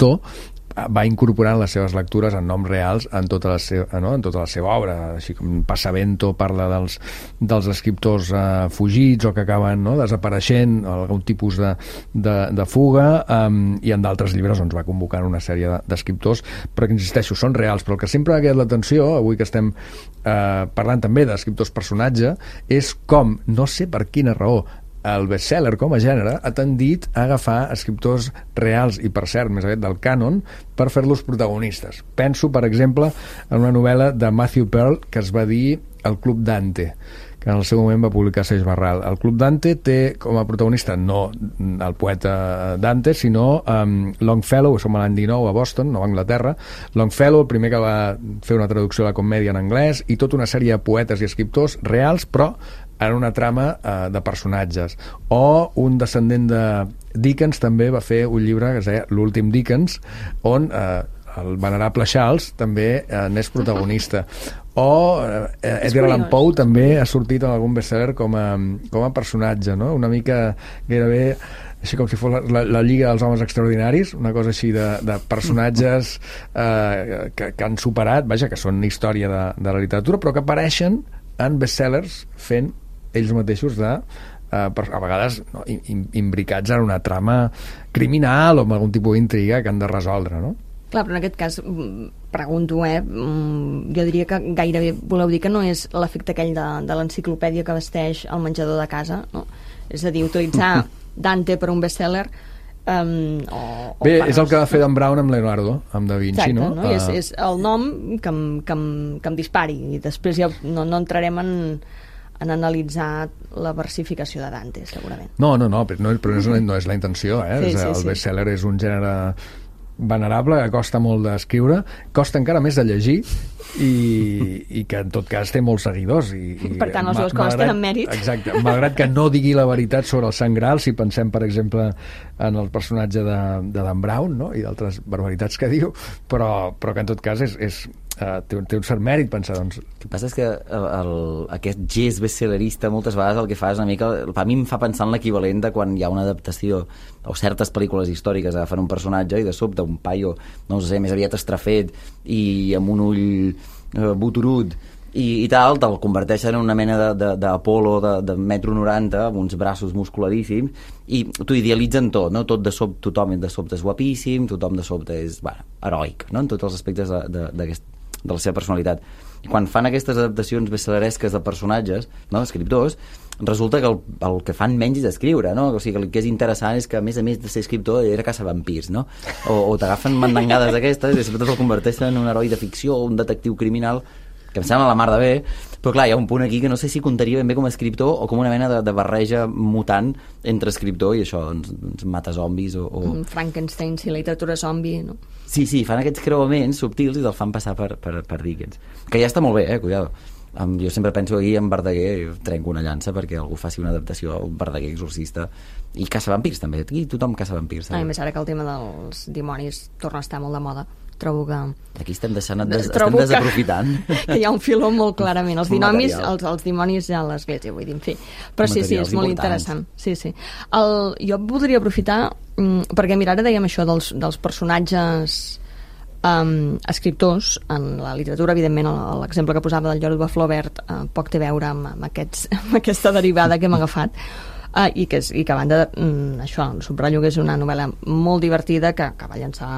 va incorporant les seves lectures en noms reals en tota la seva, no? en tota la seva obra, així com Passavento parla dels, dels escriptors eh, fugits o que acaben, no? desapareixent, algun tipus de, de, de fuga, um, i en d'altres llibres doncs, va convocant una sèrie d'escriptors, però que insisteixo, són reals, però el que sempre ha quedat l'atenció, avui que estem eh, parlant també d'escriptors personatge, és com, no sé per quina raó, el bestseller com a gènere ha tendit a agafar escriptors reals i, per cert, més aviat del cànon, per fer-los protagonistes. Penso, per exemple, en una novel·la de Matthew Pearl que es va dir El Club Dante, que en el seu moment va publicar Seix Barral. El Club Dante té com a protagonista no el poeta Dante, sinó um, Longfellow, som a l'any dinou a Boston, Nova Anglaterra. Longfellow, el primer que va fer una traducció de la comèdia en anglès, i tota una sèrie de poetes i escriptors reals, però en una trama eh, de personatges. O un descendent de Dickens també va fer un llibre que es deia L'últim Dickens, on eh, el venerable Charles també eh, n'és protagonista. O eh, Edgar Allan Poe també ha sortit en algun bestseller com a, com a personatge, no? Una mica gairebé així com si fos la, la, la Lliga dels Homes Extraordinaris, una cosa així de, de personatges eh, que, que han superat, vaja, que són història de, de la literatura, però que apareixen en bestsellers fent ells mateixos de, eh, a vegades no, imbricats en una trama criminal o amb algun tipus d'intriga que han de resoldre, no? Clar, però en aquest cas pregunto, eh, jo diria que gairebé voleu dir que no és l'efecte aquell de, de l'enciclopèdia que vesteix el menjador de casa, no? És a dir, utilitzar Dante per un bestseller. Um, o, o Bé, pares. És el que va fer Dan Brown amb Leonardo, amb Da Vinci. Exacte, no? no? Uh... És, és el nom que em, que em, que em dispari, i després ja no, no entrarem en, en analitzar la versificació de Dante, segurament. No, no, no, però no, però no, és, no és la intenció, eh? Sí, és, sí, el sí. bestseller és un gènere venerable, que costa molt d'escriure, costa encara més de llegir, i, i que en tot cas té molts seguidors. I, i per tant, les dues coses tenen mèrit. Exacte, malgrat que no digui la veritat sobre el Sant Graal, si pensem, per exemple, en el personatge de, de Dan Brown, no? I d'altres barbaritats que diu, però, però que en tot cas és, és, uh, té, té un cert mèrit pensar, doncs... El que passa és que el, el, aquest gest bestsellerista moltes vegades el que fa és una mica... A mi em fa pensar en l'equivalent de quan hi ha una adaptació o certes pel·lícules històriques agafen un personatge i de sobte un paio, no sé, més aviat estrafet i amb un ull eh, botorut i, i tal, te'l converteixen en una mena d'Apolo de, de, de, de metro noranta amb uns braços musculadíssims i t'ho idealitzen tot, no? Tot de sobte, tothom de sobte és guapíssim, tothom de sobte és, bueno, heroic, no? En tots els aspectes de, de, de la seva personalitat. I quan fan aquestes adaptacions bestselleresques de personatges, no? Escriptors, resulta que el, el que fan menys és escriure, no? O sigui, que el que és interessant és que, a més a més de ser escriptor, era caçavampirs, no? O, o t'agafen mandangades d'aquestes i després el converteixen en un heroi de ficció o un detectiu criminal, que em sembla la mar de bé, però clar, hi ha un punt aquí que no sé si comptaria ben bé com a escriptor o com una mena de, de barreja mutant entre escriptor i això, doncs, doncs mata zombis o... o... Frankenstein, si literatura zombi, no? Sí, sí, fan aquests creuaments subtils i te'l fan passar per, per, per Dickens. Que ja està molt bé, eh, cuidado. Um, jo sempre penso aquí en Verdaguer i trenco una llança perquè algú faci una adaptació a un Verdaguer exorcista i caçavampirs també, aquí tothom caçavampirs. A més, ara que el tema dels dimonis torna a estar molt de moda, trobo que... Aquí estem deixant, des, estem desaprofitant. Que, que hi ha un filó molt clarament. Els dinomis, els, els dimonis ja a l'església, vull dir, en fi. Però sí, sí, és molt interessant. Sí, sí. El, jo podria aprofitar, perquè mira, ara dèiem això dels, dels personatges um, escriptors, en la literatura, evidentment, l'exemple que posava del Lloro de Flaubert uh, poc té a veure amb, amb, aquests, amb aquesta derivada que hem agafat. Uh, i, que és, i que a banda mm, això, subratllo que és una novel·la molt divertida que, que va llançar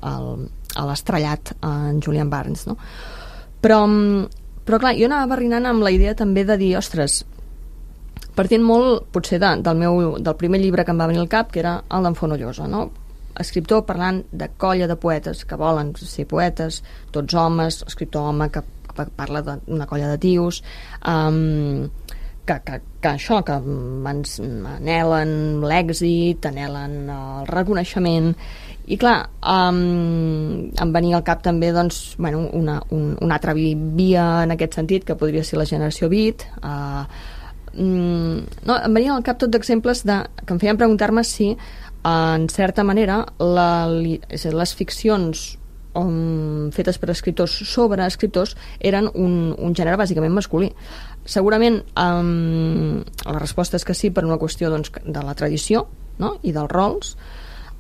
el, a l'estrellat en Julian Barnes, no? Però, però clar, jo anava barrinant amb la idea també de dir, ostres, partint molt potser de, del, meu, del primer llibre que em va venir al cap, que era el d'en Fonollosa, no? escriptor parlant de colla de poetes que volen ser poetes, tots homes, escriptor home que, que parla d'una colla de tios, um, que, que, que això, que ens anhelen l'èxit, anhelen el reconeixement. I clar, um, em venia al cap també doncs, bueno, una, un, una altra via en aquest sentit, que podria ser la generació beat. Uh, um, no, em venia al cap tot d'exemples de, que em feien preguntar-me si, uh, en certa manera, la, és a dir, les ficcions um, fetes per escriptors sobre escriptors eren un, un gènere bàsicament masculí. Segurament um, la resposta és que sí, per una qüestió doncs, de la tradició, no? I dels rols.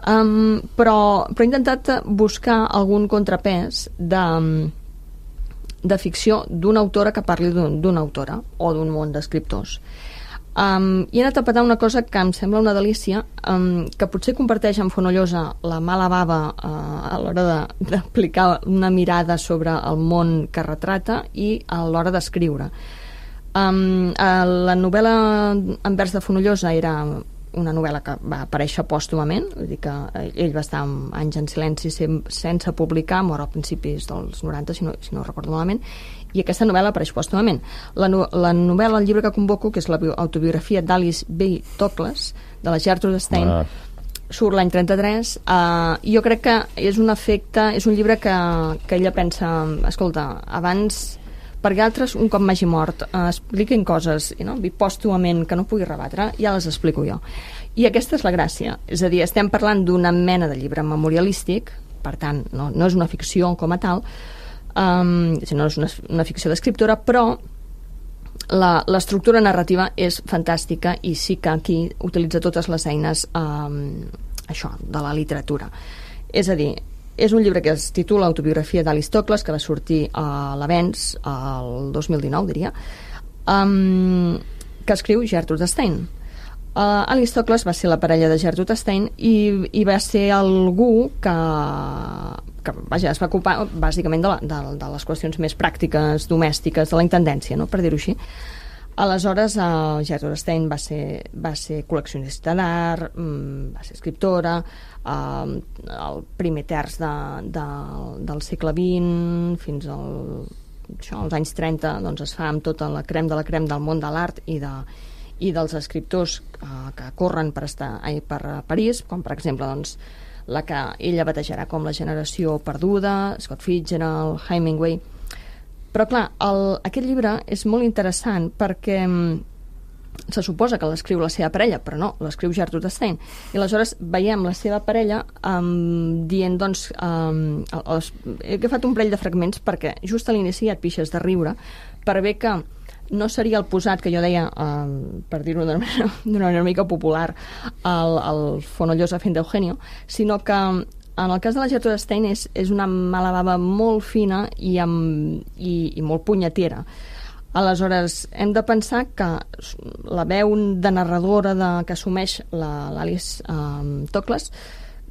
Um, però, però he intentat buscar algun contrapès de, de ficció d'una autora que parli d'una autora o d'un món d'escriptors. Um, i he anat a petar una cosa que em sembla una delícia, um, que potser comparteix amb Fonollosa la mala bava uh, a l'hora d'aplicar una mirada sobre el món que retrata i a l'hora d'escriure. Um, la novel·la en vers de Fonollosa era una novel·la que va aparèixer pòstumament, vull dir que ell va estar anys en silenci sense publicar, mor a principis dels noranta, si no, si no recordo malament, i aquesta novel·la apareix pòstumament. La, no, la novel·la, el llibre que convoco, que és l'autobiografia d'Alice B. Toklas, de la Gertrude Stein, ah. surt l'any trenta-tres, uh, i jo crec que és un efecte, és un llibre que, que ella pensa, escolta, abans, perquè altres, un cop m'hagi mort, uh, expliquin coses, no? Pòstumament, que no pugui rebatre, ja les explico jo. I aquesta és la gràcia, és a dir, estem parlant d'una mena de llibre memorialístic, per tant, no, no és una ficció com a tal, um, sinó és una, una ficció d'escriptora, però l'estructura narrativa és fantàstica i sí que aquí utilitza totes les eines um, això, de la literatura. És a dir, és un llibre que es titula Autobiografia d'Alice Toklas, que va sortir a l'Avenç el dos mil dinou, diria, um, que escriu Gertrude Stein. Uh, Alice Toklas va ser la parella de Gertrude Stein i, i va ser algú que, que vaja, es va ocupar bàsicament de, la, de, de les qüestions més pràctiques, domèstiques, de la intendència, no? Per dir-ho així. Aleshores, uh, Gertrude Stein va ser, va ser col·leccionista d'art, um, va ser escriptora, uh, el primer terç de, de, del segle vint fins al, això, als anys trenta doncs es fa amb tota la crem de la crem del món de l'art i, de, i dels escriptors uh, que corren per, estar, ai, per París, com per exemple doncs, la que ella batejarà com la generació perduda, Scott Fitzgerald, Hemingway. Però clar, el, aquest llibre és molt interessant perquè se suposa que l'escriu la seva parella, però no, l'escriu Gertrude Stein. I aleshores veiem la seva parella um, dient, doncs, um, els, he agafat un parell de fragments perquè just a l'inici et pixes de riure per bé que no seria el posat que jo deia, um, per dir-ho d'una manera, manera mica popular, el, el Fonollosa fent d'Eugenio, sinó que en el cas de la Gertrude Stein és, és una mala bava molt fina i, amb, i, i molt punyetera. Aleshores, hem de pensar que la veu de narradora de, que assumeix l'Alice um, Toklas,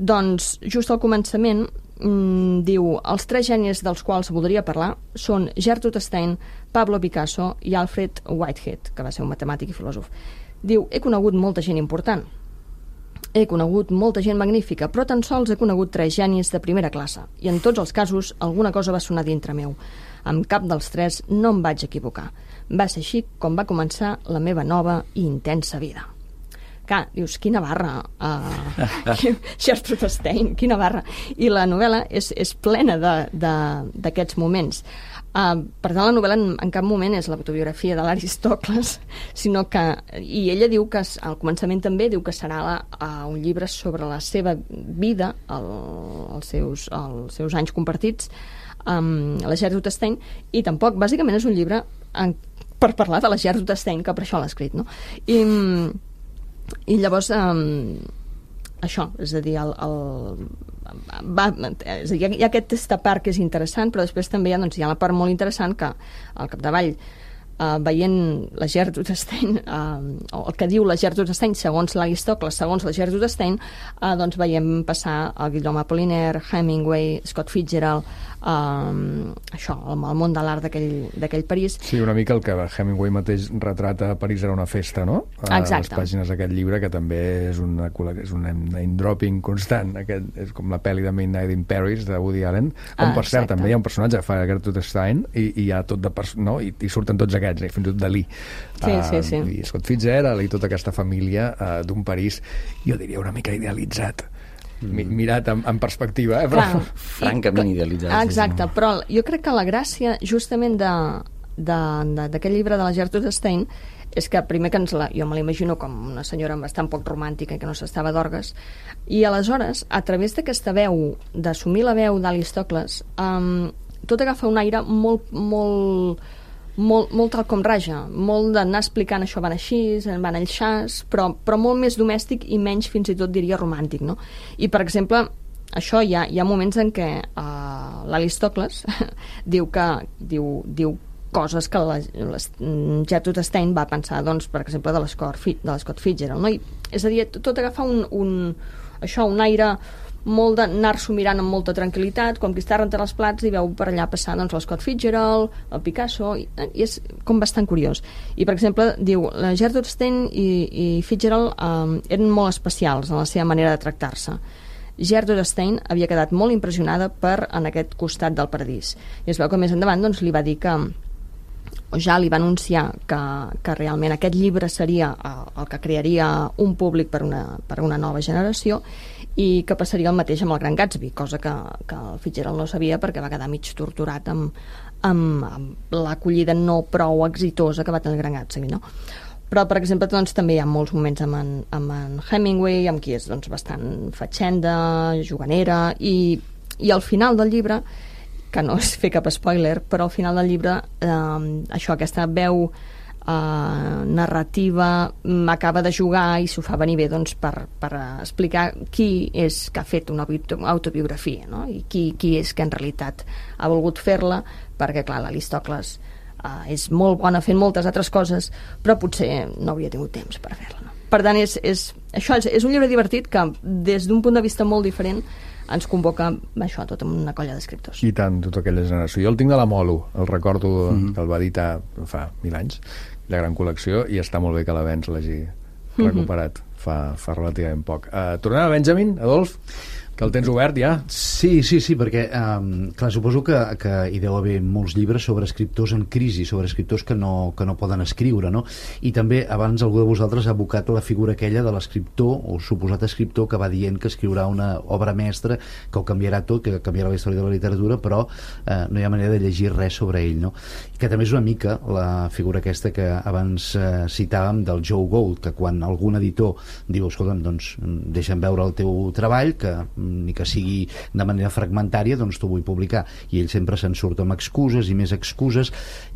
doncs, just al començament, um, diu, els tres gènies dels quals voldria parlar són Gertrude Stein, Pablo Picasso i Alfred Whitehead, que va ser un matemàtic i filòsof. Diu, he conegut molta gent important, he conegut molta gent magnífica, però tan sols he conegut tres genis de primera classe, i en tots els casos alguna cosa va sonar dintre meu. Amb cap dels tres no em vaig equivocar. Va ser així com va començar la meva nova i intensa vida. Clar, dius, quina barra, uh, Gertrude Stein, quina barra. I la novel·la és, és plena d'aquests moments. Uh, per tant, la novel·la en, en cap moment és l'autobiografia de l'Alice Toklas, sinó que, i ella diu que al començament també diu que serà la, uh, un llibre sobre la seva vida, el, els, seus, els seus anys compartits amb la Gertrude Stein, i tampoc, bàsicament és un llibre en, per parlar de la Gertrude Stein, que per això l'ha escrit, no? I, i llavors um, això, és a dir, el, el, va, és a dir, hi ha aquest aquesta part que és interessant, però després també hi ha, doncs, hi ha la part molt interessant que al capdavall uh, veient la Gertrude Stein, uh, el que diu la Gertrude Stein segons l'Aristòcles, segons la Gertrude Stein, uh, doncs veiem passar el Guillaume Apollinaire, Hemingway, Scott Fitzgerald, uh, això, el, el món de l'art d'aquell París. Sí, una mica el que Hemingway mateix retrata a París era una festa, no? A Exacte. les pàgines d'aquest llibre, que també és una, és un name-dropping constant. Aquest és com la pel·li de Midnight in Paris, de Woody Allen, on, Ah, per cert, exacte. també hi ha un personatge que fa Gertrude Stein, i, i hi ha tot de pers- no? I, i surten tots aquests, i fins i tot Dalí. Sí, sí, sí. I Scott Fitzgerald, i tota aquesta família uh, d'un París, jo diria una mica idealitzat. Mi, mirat en, en perspectiva, eh? Però... Clar, Francament i- idealitzat, Ah, sí, exacte, sí. però jo crec que la gràcia justament de de- de- d'aquest llibre de la Gertrude Stein és que primer que ens la, jo me l'imagino com una senyora bastant poc romàntica i que no s'estava d'orgues, i aleshores a través d'aquesta veu, d'assumir la veu d'Aristòcles, um, tot agafa un aire molt, molt, molt, molt tal com raja, molt d'anar explicant això van així, van allxàs, però, però molt més domèstic i menys fins i tot diria romàntic, no? I per exemple, això hi ha, hi ha moments en què uh, l'Aristòcles diu que diu, diu coses que la, la Gertrude Stein va pensar, doncs, per exemple, de l'Scott de l'Scott Fitzgerald, no? I, és a dir, tot, tot agafa un, un, això, un aire molt d'anar-s'ho mirant amb molta tranquil·litat, com qui està rentant els plats i veu per allà passar, doncs, l'Scott Fitzgerald, el Picasso, i, i és com bastant curiós. I, per exemple, diu, la Gertrude Stein i, i Fitzgerald um, eren molt especials en la seva manera de tractar-se. Gertrude Stein havia quedat molt impressionada per en aquest costat del paradís. I es veu que més endavant doncs, li va dir que o ja li va anunciar que, que realment aquest llibre seria el, el que crearia un públic per una, per una nova generació i que passaria el mateix amb el Gran Gatsby, cosa que, que el Fitzgerald no sabia perquè va quedar mig torturat amb, amb, amb l'acollida no prou exitosa que va tenir el Gran Gatsby, no? Però, per exemple, doncs, també hi ha molts moments amb en, amb en Hemingway, amb qui és doncs, bastant fatxenda, juganera, i, i al final del llibre, que no és fer cap spoiler, però al final del llibre eh, això, aquesta veu eh, narrativa m'acaba de jugar i s'ho fa venir bé doncs, per, per explicar qui és que ha fet una autobiografia, no? I qui, qui és que en realitat ha volgut fer-la, perquè clar, l'Aristòcles eh, és molt bona fent moltes altres coses, però potser no hauria tingut temps per fer-la, no? Per tant, és, és, això és, és un llibre divertit que des d'un punt de vista molt diferent ens convoca això, tota una colla d'escriptors. I tant, tota aquella generació. Jo el tinc de la Molo, el recordo mm. que el va editar fa mil anys, la gran col·lecció, i està molt bé que l'Avens l'hagi recuperat fa, fa relativament poc. Uh, tornem a Benjamin, Adolf, que el tens obert ja. Sí, sí, sí, perquè um, clar, suposo que, que hi deu haver molts llibres sobre escriptors en crisi, sobre escriptors que no, que no poden escriure, no? I també abans algú de vosaltres ha abocat la figura aquella de l'escriptor o suposat escriptor que va dient que escriurà una obra mestra que ho canviarà tot, que canviarà la història de la literatura, però eh, no hi ha manera de llegir res sobre ell, no? I que també és una mica la figura aquesta que abans eh, citàvem del Joe Gould, que quan algun editor diu, escolta'm, doncs deixa'm veure el teu treball, que ni que sigui de manera fragmentària, doncs t'ho vull publicar, i ell sempre se'n surt amb excuses i més excuses.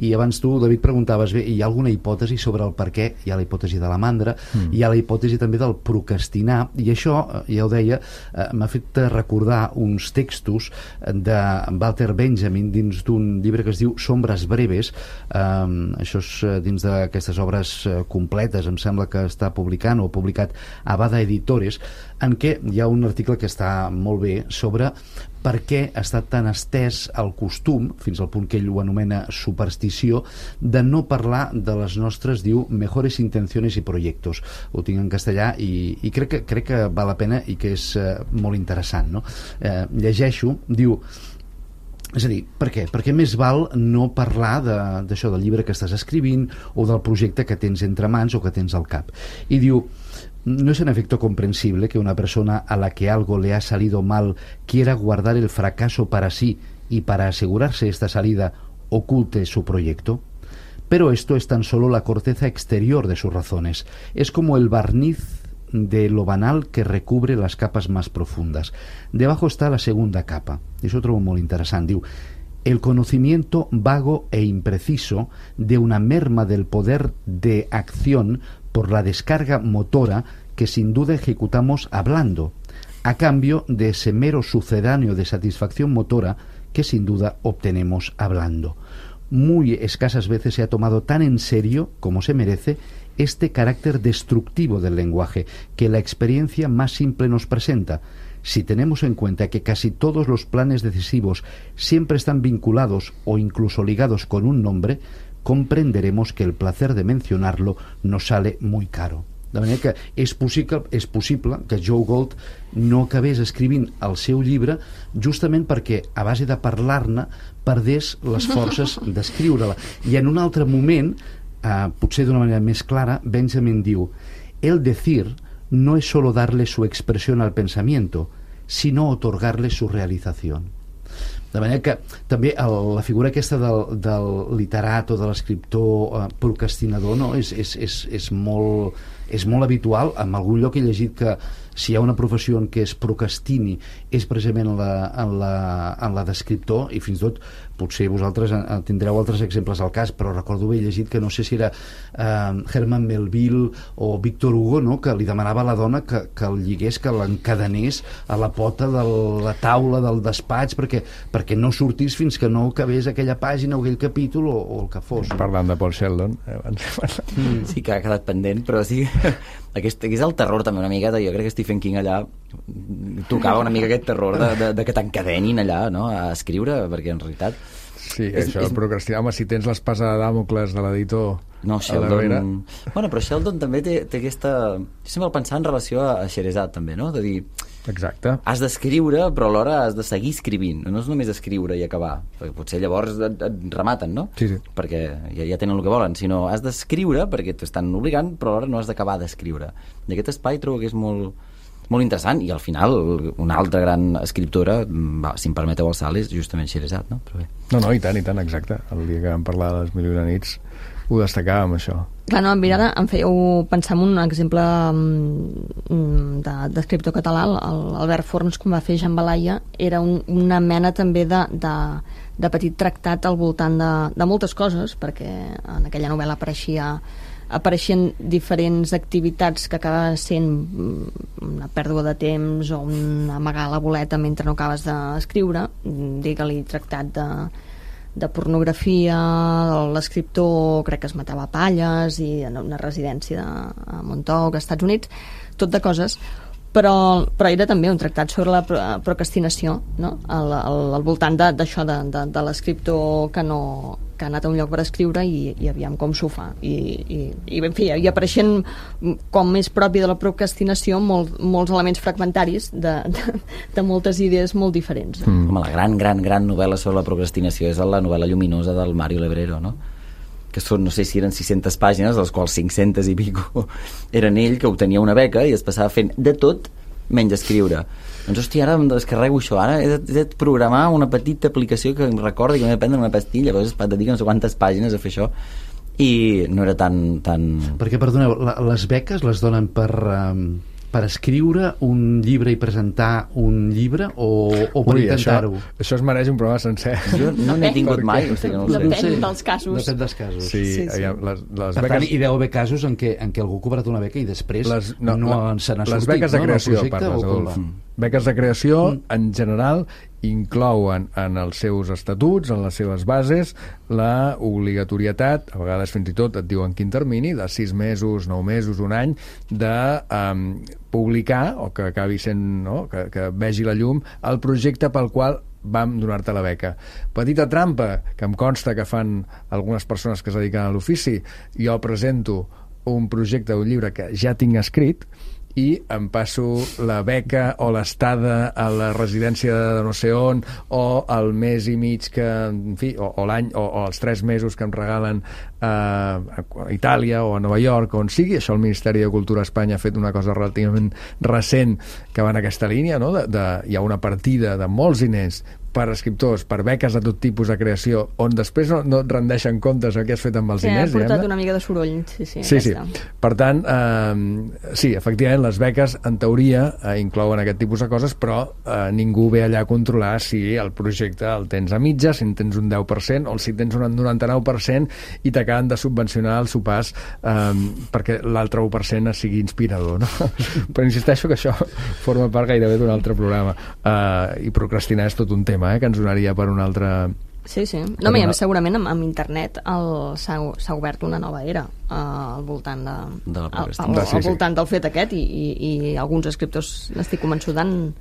I abans tu, David, preguntaves, bé, hi ha alguna hipòtesi sobre el per què? Hi ha la hipòtesi de la mandra, mm. hi ha la hipòtesi també del procrastinar, i això, ja ho deia, eh, m'ha fet recordar uns textos de Walter Benjamin dins d'un llibre que es diu Sombres breves, eh, això és dins d'aquestes obres completes, em sembla que està publicant o publicat a Bada Editores, en què hi ha un article que està molt bé sobre per què ha estat tan estès el costum, fins al punt que ell ho anomena superstició, de no parlar de les nostres, diu, mejores intenciones y proyectos. Ho tinc en castellà i, i crec, que, crec que val la pena i que és eh, molt interessant, no? Eh, llegeixo, diu, és a dir, per què? Perquè més val no parlar d'això, de, del llibre que estàs escrivint o del projecte que tens entre mans o que tens al cap. I diu, no es en efecto comprensible que una persona a la que algo le ha salido mal quiera guardar el fracaso para sí y para asegurarse esta salida oculte su proyecto. Pero esto es tan solo la corteza exterior de sus razones. Es como el barniz de lo banal que recubre las capas más profundas. Debajo está la segunda capa. És otro molt interessant. Diu, el conocimiento vago e impreciso de una merma del poder de acción por la descarga motora que sin duda ejecutamos hablando, a cambio de ese mero sucedáneo de satisfacción motora que sin duda obtenemos hablando. muy escasas veces se ha tomado tan en serio como se merece este carácter destructivo del lenguaje que la experiencia más simple nos presenta. Si tenemos en cuenta que casi todos los planes decisivos siempre están vinculados o incluso ligados con un nombre, comprenderemos que el placer de mencionarlo nos sale muy caro. De manera que és possible, és possible que Joe Gold no acabés escrivint el seu llibre justament perquè a base de parlar-ne perdés les forces d'escriure-la. I en un altre moment, eh, potser d'una manera més clara, Benjamin diu: el decir no es solo darle su expresión al pensamiento, sino otorgarle su realización. De manera que també el, la figura aquesta del, del literat o de l'escriptor eh, procrastinador, no? és, és, és, és, molt, és molt habitual. En algun lloc he llegit que si hi ha una professió en què es procrastini és precisament en la, en la, en la d'escriptor, i fins i tot potser vosaltres en tindreu altres exemples al cas, però recordo haver llegit que no sé si era eh, Herman Melville o Victor Hugo, no? Que li demanava a la dona que, que el lligués, que l'encadenés a la pota de la taula del despatx perquè, perquè no sortís fins que no acabés aquella pàgina o aquell capítol o, o el que fos. Parlant de Paul Sheldon. Eh, mm. Sí que ha quedat pendent, però sí aquest, aquest és el terror també una miqueta. Jo crec que Stephen King allà tocava una mica aquest terror de, de, de que t'encadenin allà, no?, a escriure, perquè en realitat sí, és, això, és... procrastinar, home, si tens l'espasa de Dàmocles de l'editor no, Sheldon... Bueno, però Sheldon també té, té aquesta... Jo sempre el pensar en relació a Scheherazade també, no?, de dir... Exacte. Has d'escriure, però alhora has de seguir escrivint. No és només escriure i acabar, perquè potser llavors et, et rematen, no? Sí, sí. Perquè ja, ja tenen el que volen, sinó has d'escriure perquè t'estan obligant, però alhora no has d'acabar d'escriure. I aquest espai trobo que és molt, molt interessant, i al final una altra gran escriptora, va, si em permeteu el salt, és justament Scheherazade, no? Però bé. No, no, i tant, i tant, exacte. El dia que vam parlar de les Mil i una nits ho destacàvem, això. Clar, no, mira, ara em fèieu pensar en un exemple d'escriptor de, català, el Albert Forns, com va fer Jean Balaia, era un, una mena també de, de, de petit tractat al voltant de, de moltes coses, perquè en aquella novel·la apareixia apareixien diferents activitats que acaba sent una pèrdua de temps o un amagar la boleta mentre no acabes d'escriure, digue-li tractat de de pornografia, l'escriptor crec que es matava a palles i en una residència de, a Montauk, als Estats Units, tot de coses, però, però era també un tractat sobre la procrastinació, no? al, al, al voltant d'això de, de, de l'escriptor que no que ha anat a un lloc per escriure i, i aviam com s'ho fa i, i, i en fi, hi apareixen com més propi de la procrastinació molt, molts elements fragmentaris de, de, de moltes idees molt diferents. Mm. Home, la gran, gran, gran novel·la sobre la procrastinació és la novel·la lluminosa del Mario Lebrero, no? Que són, no sé si eren sis-centes pàgines, dels quals cinc-centes i pico eren ell, que obtenia una beca i es passava fent de tot menys escriure. Doncs, hòstia, ara em descarrego això, ara he de, he de programar una petita aplicació que em recordi que m'he de prendre una pastilla, llavors et dedica no sé quantes pàgines a fer això, i no era tan... tan... Perquè, perdoneu, la, les beques les donen per... Um... per escriure un llibre i presentar un llibre o, o per Ui, intentar-ho? Això, això es mereix un programa sencer. Jo no n'he tingut perquè... mai, o sigui que no ho sé. Depèn dels casos. Depèn dels casos. Sí, sí, sí. Les, les per beques... tant, hi deu haver casos en què, en què algú ha cobrat una beca i després les, no, no la, se n'ha sortit. Les beques de no, creació, parles, Adolf. Mm. Beques de creació, mm. en general, inclouen en els seus estatuts, en les seves bases, la obligatorietat, a vegades fins i tot et diuen quin termini, de sis mesos, nou mesos, un any, de um, publicar, o que acabi sent, no?, que, que vegi la llum, el projecte pel qual vam donar-te la beca. Petita trampa, que em consta que fan algunes persones que es dediquen a l'ofici. Jo presento un projecte d'un llibre que ja tinc escrit i em passo la beca o l'estada a la residència de no sé on, o el mes i mig que, en fi, o, o l'any, o, o els tres mesos que em regalen a, a Itàlia o a Nova York, on sigui. Això el Ministeri de Cultura a Espanya ha fet una cosa relativament recent que va en aquesta línia, no? de, de, hi ha una partida de molts diners per escriptors, per beques de tot tipus de creació, on després no, no et rendeixen comptes el que has fet amb els sí, diners. Sí, ha portat diguem-ne. una mica de soroll. Sí, sí. Sí, sí. Per tant, eh, sí, efectivament, les beques, en teoria, eh, inclouen aquest tipus de coses, però eh, ningú ve allà a controlar si el projecte el tens a mitja, si en tens un deu per cent, o si tens un noranta-nou per cent i t'acaben de subvencionar el sopars eh, perquè l'altre u per cent sigui inspirador, no? Però insisteixo que això forma part gairebé d'un altre programa. Eh, I procrastinar és tot un tema, Eh, que ens donaria per un altre, Sí, sí. No, a més, segurament amb, amb internet s'ha obert una nova era uh, al voltant de, de la al, al, al, al voltant del fet aquest i, i, i alguns escriptors, n'estic convençuda, han,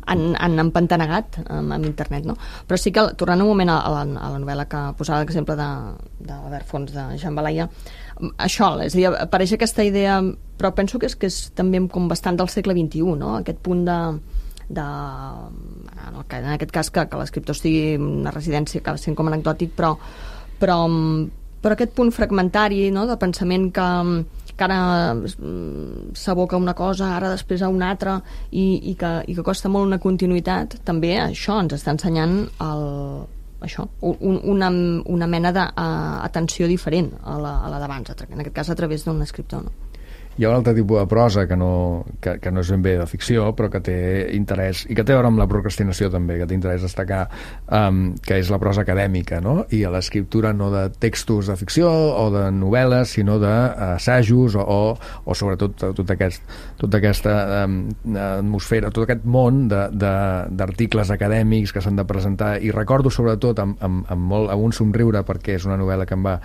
han, han empantanegat amb, amb internet, no? Però sí que, tornant un moment a la, a la novel·la que posava l'exemple de, de l'Albert Fons, de Jean Balaya, això, és a dir, apareix aquesta idea, però penso que és, que és també com bastant del segle vint-i-u, no? Aquest punt de de, en aquest cas que, que l'escriptor estigui en una residència acaba sent com anecdòtic, però, però, però aquest punt fragmentari, no?, de pensament que, que ara s'aboca una cosa, ara després a una altra i, i, que, i que costa molt una continuïtat, també això ens està ensenyant el, això, un, una, una mena d'atenció diferent a la, a la d'abans, en aquest cas a través d'un escriptor, no? Hi ha un altre tipus de prosa que no, que, que no és ben bé de ficció, però que té interès, i que té a veure amb la procrastinació també, que té interès destacar, um, que és la prosa acadèmica, no? I a l'escriptura no de textos de ficció o de novel·les, sinó d'assajos o, o, o sobretot tot aquest, tota aquesta um, atmosfera, tot aquest món d'articles acadèmics que s'han de presentar, i recordo sobretot amb, amb, amb, molt, amb un somriure, perquè és una novel·la que em va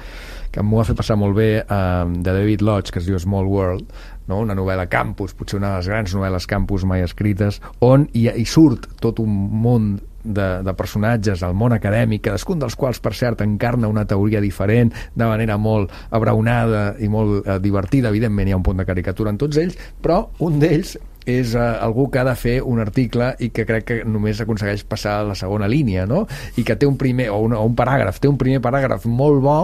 que m'ho va fer passar molt bé, um, de David Lodge, que es diu Small World, no? Una novel·la campus, potser una de les grans novel·les campus mai escrites, on hi, hi surt tot un món de, de personatges al món acadèmic, cadascun dels quals, per cert, encarna una teoria diferent, de manera molt abraonada i molt eh, divertida. Evidentment hi ha un punt de caricatura en tots ells, però un d'ells és uh, algú que ha de fer un article i que crec que només aconsegueix passar a la segona línia, no? I que té un primer, o un, o un paràgraf, té un primer paràgraf molt bo,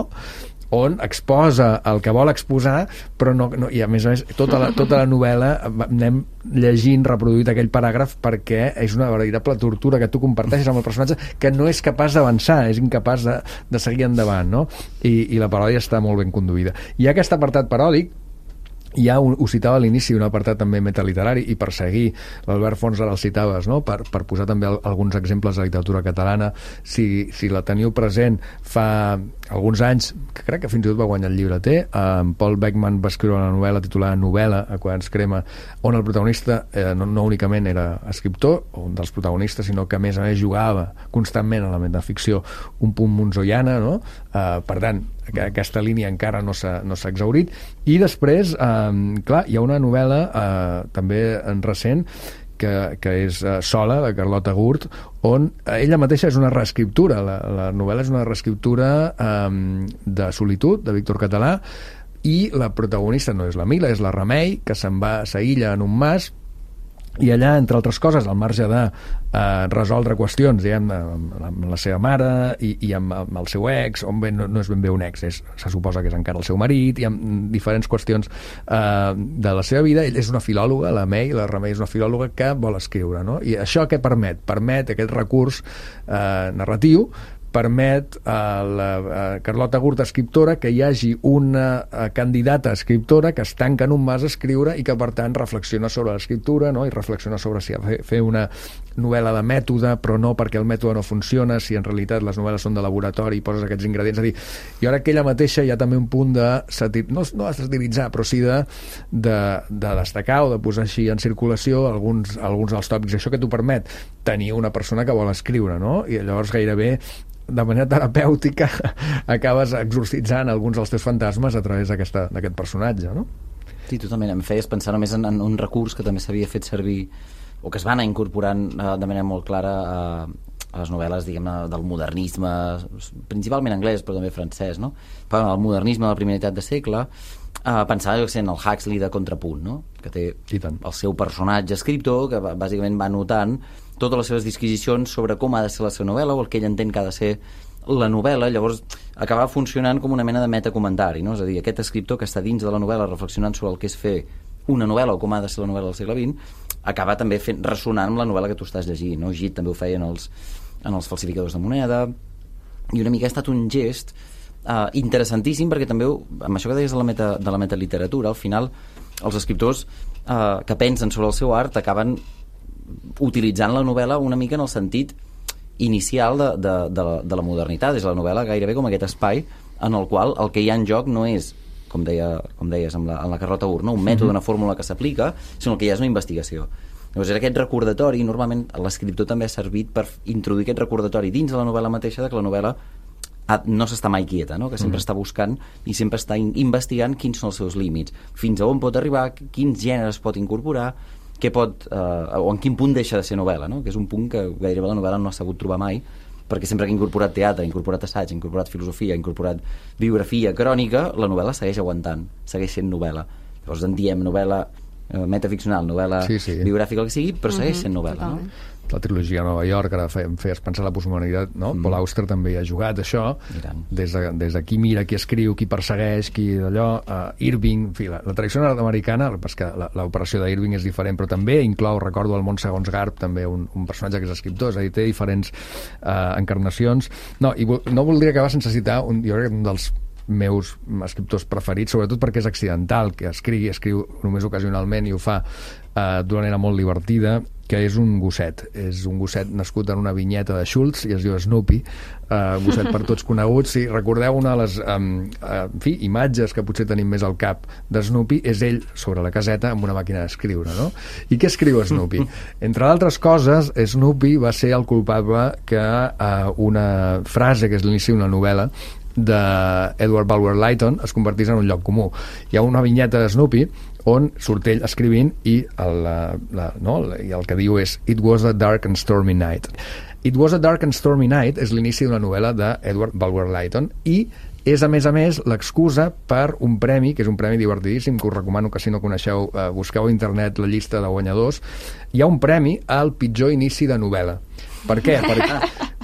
on exposa el que vol exposar, però no, no, i a més a més tota la, tota la novel·la anem llegint, reproduït aquell paràgraf, perquè és una veritable tortura que tu comparteixes amb el personatge, que no és capaç d'avançar, és incapaç de, de seguir endavant, no? I, i la paròdia està molt ben conduïda. Hi ha aquest apartat paròdic. Hi ha, un, ho citava a l'inici, un apartat també metaliterari, i per seguir l'Albert Fons ara el citaves, no? per, per posar també el, alguns exemples de literatura catalana, si, si la teniu present, fa alguns anys, que crec que fins i tot va guanyar el llibreter, en Paul Beckman va escriure una novel·la titulada Novel·la, a quan ens crema, on el protagonista eh, no, no únicament era escriptor, o un dels protagonistes, sinó que a més a més jugava constantment a la metaficció un punt monzoiana, no? Eh, per tant, que aquesta línia encara no s'ha no s'ha exhaurit. I després, eh, clar, hi ha una novel·la eh, també en recent que, que és eh, Sola, de Carlota Gurt, on ella mateixa és una reescriptura. La, la novel·la és una reescriptura eh, de Solitud, de Víctor Català, i la protagonista no és la Mila, és la Remei, que se'n va, s'aïlla en un mas, i allà, entre altres coses, al marge de eh, resoldre qüestions, diguem, amb, amb la seva mare i, i amb, amb el seu ex, on bé no, no és ben bé un ex, és, se suposa que és encara el seu marit, i amb diferents qüestions eh, de la seva vida. Ell és una filòloga, la May, la Remei és una filòloga que vol escriure, no? I això què permet? Permet aquest recurs eh, narratiu, permet a la a Carlota Gurt, escriptora, que hi hagi una a, candidata escriptora que es tanca en un mas a escriure i que, per tant, reflexiona sobre l'escriptura, no? I reflexiona sobre si ha de fer una novel·la de mètode, però no perquè el mètode no funciona, si en realitat les novel·les són de laboratori i poses aquests ingredients. És a dir, i ara que ella mateixa hi ha també un punt de satir, no, no de satiritzar, però sí de, de, de destacar o de posar així en circulació alguns, alguns dels tòpics. Això que t'ho permet tenir una persona que vol escriure, no? I llavors gairebé de manera terapèutica acabes exorcitzant alguns dels teus fantasmes a través d'aquest personatge, no? Sí, totalment. Em feies pensar només en, en un recurs que també s'havia fet servir, o que es va anar incorporant eh, de manera molt clara a, a les novel·les, diguem-ne, del modernisme, principalment anglès, però també francès, no? Però el modernisme de la primera meitat de segle, eh, pensava que sent el Huxley de Contrapunt, no? Que té el seu personatge escriptor, que bàsicament va notant totes les seves disquisicions sobre com ha de ser la seva novel·la o el que ell entén que ha de ser la novel·la. Llavors acabava funcionant com una mena de metacomentari, no? És a dir, aquest escriptor que està dins de la novel·la reflexionant sobre el que és fer una novel·la o com ha de ser la novel·la del segle vint, acaba també fent, ressonant amb la novel·la que tu estàs llegint, no? Gide també ho feia en els, en els falsificadors de moneda, i una mica ha estat un gest uh, interessantíssim, perquè també amb això que deies de la, meta, de la metaliteratura, al final els escriptors uh, que pensen sobre el seu art acaben utilitzant la novel·la una mica en el sentit inicial de, de, de, la, de la modernitat. És la novel·la gairebé com aquest espai en el qual el que hi ha en joc no és, com, deia, com deies amb la, amb la Carlota Gurt, no? Un mètode, una fórmula que s'aplica, sinó que hi ha una investigació. Llavors era aquest recordatori, normalment l'escriptor també ha servit per introduir aquest recordatori dins de la novel·la mateixa, de que la novel·la no s'està mai quieta, no? Que sempre mm. està buscant i sempre està in- investigant quins són els seus límits, fins a on pot arribar, quins gèneres pot incorporar, què pot, eh, o en quin punt deixa de ser novel·la, no? Que és un punt que gairebé la novel·la no ha sabut trobar mai, perquè sempre que ha incorporat teatre, ha incorporat assaig, ha incorporat filosofia, ha incorporat biografia, crònica, la novel·la segueix aguantant, segueix sent novel·la. Llavors en diem novel·la eh, metaficcional, novel·la sí, sí. biogràfica, el que sigui, però segueix sent novel·la, mm-hmm. no? La trilogia a Nova York, ara em feies pensar la postmodernitat, no? Mm. Paul Auster també hi ha jugat això, des de, des de qui mira, qui escriu, qui persegueix, qui d'allò, uh, Irving, en fi, la, la tradició nord-americana, perquè l'operació d'Irving és diferent, però també inclou, recordo, el món segons Garp, també un, un personatge que és escriptor, és a dir, té diferents uh, encarnacions. No, i no voldria acabar sense citar un, jo crec que un dels meus escriptors preferits, sobretot perquè és accidental, que escrigui, escriu només ocasionalment i ho fa uh, d'una manera molt divertida, que és un gosset. És un gosset nascut en una vinyeta de Schultz i es diu Snoopy, uh, un gosset per tots coneguts. Si recordeu una de les um, uh, en fi, imatges que potser tenim més al cap de Snoopy, és ell sobre la caseta amb una màquina d'escriure, no? I què escriu Snoopy? Entre d'altres coses, Snoopy va ser el culpable que uh, una frase que és l'inici d'una novel·la d'Edward Bulwer Lytton es convertís en un lloc comú. Hi ha una vinyeta de Snoopy on surt ell escrivint i el, la, la, no, i el que diu és It was a dark and stormy night. It was a dark and stormy night és l'inici d'una novel·la d'Edward Bulwer Lytton i és, a més a més, l'excusa per un premi, que és un premi divertidíssim, que us recomano que si no coneixeu, eh, busqueu a internet la llista de guanyadors. Hi ha un premi al pitjor inici de novel·la. Per què? Perquè,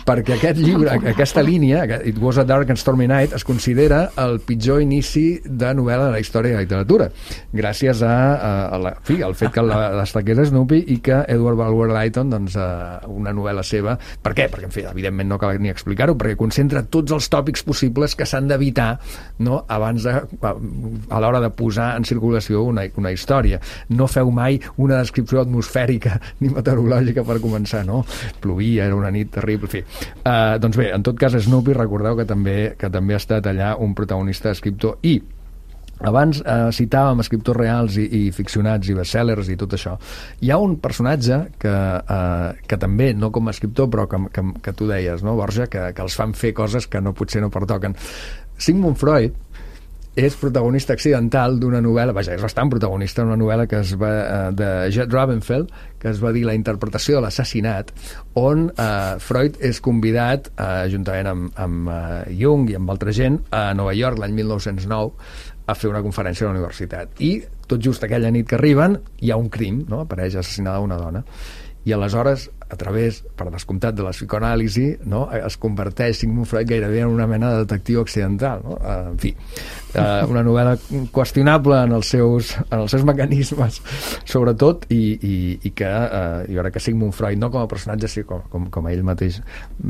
perquè aquest llibre, aquesta línia, It was a dark and stormy night, es considera el pitjor inici de novel·la de la història de la literatura, gràcies a, a, a la, fi, al fet que la destaqués Snoopy i que Edward Bulwer Lytton, doncs, a una novel·la seva. Per què? Perquè, en fi, evidentment no cal ni explicar-ho, perquè concentra tots els tòpics possibles que s'han d'evitar, no?, abans de, a, a l'hora de posar en circulació una, una història. No feu mai una descripció atmosfèrica ni meteorològica per començar, no? Plovia, era una nit terrible, en fi. Uh, doncs bé, en tot cas, Snoopy, recordeu que també, que també ha estat allà un protagonista escriptor. I abans eh, citàvem escriptors reals i, i ficcionats i bestsellers i tot això. Hi ha un personatge que, eh, que també, no com a escriptor, però que, que, que tu deies, no, Borja, que, que els fan fer coses que no potser no pertoquen. Sigmund Freud és protagonista accidental d'una novel·la, vaja, és bastant protagonista d'una novel·la que es va, eh, de Jed Ravenfeld, que es va dir La interpretació de l'assassinat, on eh, Freud és convidat, eh, juntament amb, amb eh, Jung i amb altra gent, a Nova York l'any mil nou-cents nou a fer una conferència a la universitat. I tot just aquella nit que arriben hi ha un crim, no? Apareix assassinada una dona. I aleshores, a través, per descomptat de la psicoanàlisi, no?, es converteix Sigmund Freud gairebé en una mena de detectiu accidental, no? Uh, en fi, uh, una novel·la qüestionable en els seus, en els seus mecanismes, sobretot, i, i, i que uh, jo crec que Sigmund Freud, no com a personatge, sí, com, com, com a ell mateix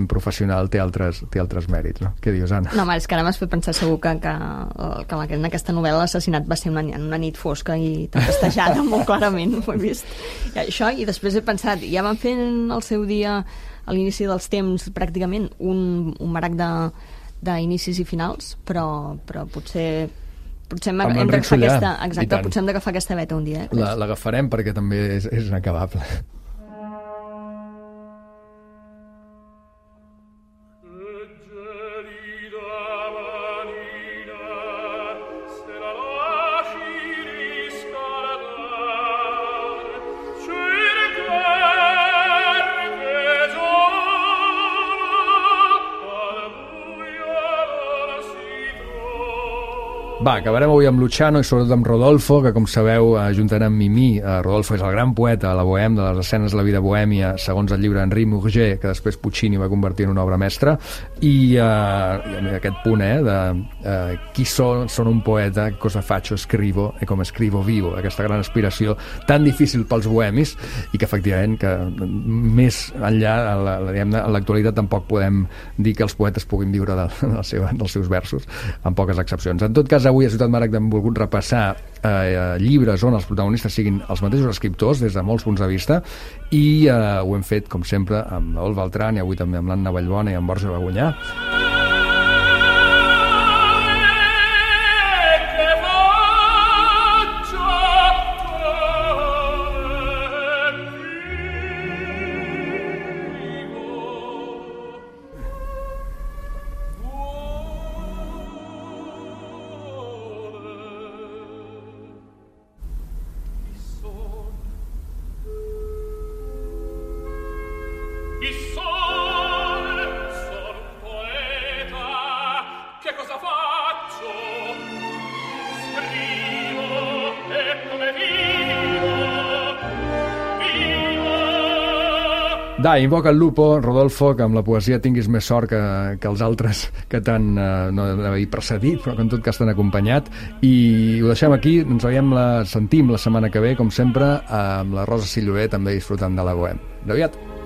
professional, té altres, té altres mèrits, no? Què dius, Anna? No, home, és que ara m'has fet pensar segur que, que, que en aquesta novel·la l'assassinat va ser una, una nit fosca i tempestejada, molt clarament, ho he vist. I això, i després he pensat, ja van fent al seu dia, a l'inici dels temps, pràcticament un, un marac d'inicis i finals, però, però potser potser hem, hem d'agafar aquesta, exacte, potser hem d'agafar aquesta beta un dia. Eh? L'agafarem perquè també és, és inacabable. Va, acabarem avui amb Luciano i sobretot amb Rodolfo, que com sabeu, juntament amb Mimí, eh, Rodolfo és el gran poeta, la bohème, de les escenes de la vida bohèmia, segons el llibre Henri Murger, que després Puccini va convertir en una obra mestra, i eh, aquest punt, eh, de eh, qui són, són un poeta, cosa faccio, escrivo, e com escrivo vivo, aquesta gran aspiració tan difícil pels bohemis, i que efectivament, que més enllà, en l'actualitat tampoc podem dir que els poetes puguin viure de, de la seva, dels seus versos, amb poques excepcions. En tot cas, avui a Ciutat Maragda hem volgut repassar eh, llibres on els protagonistes siguin els mateixos escriptors des de molts punts de vista i eh, ho hem fet, com sempre, amb l'Ol Beltran i avui també amb l'Anna Vallbona i amb Borja Bagunyà. Dai, invoca el lupo, Rodolfo, que amb la poesia tinguis més sort que, que els altres que t'han, eh, no d'haver precedit, però que en tot cas t'han acompanyat. I ho deixem aquí, ens veiem, la, sentim la setmana que ve, com sempre, amb la Rosa Silloret, també disfrutant de la Bohème. D'aviat!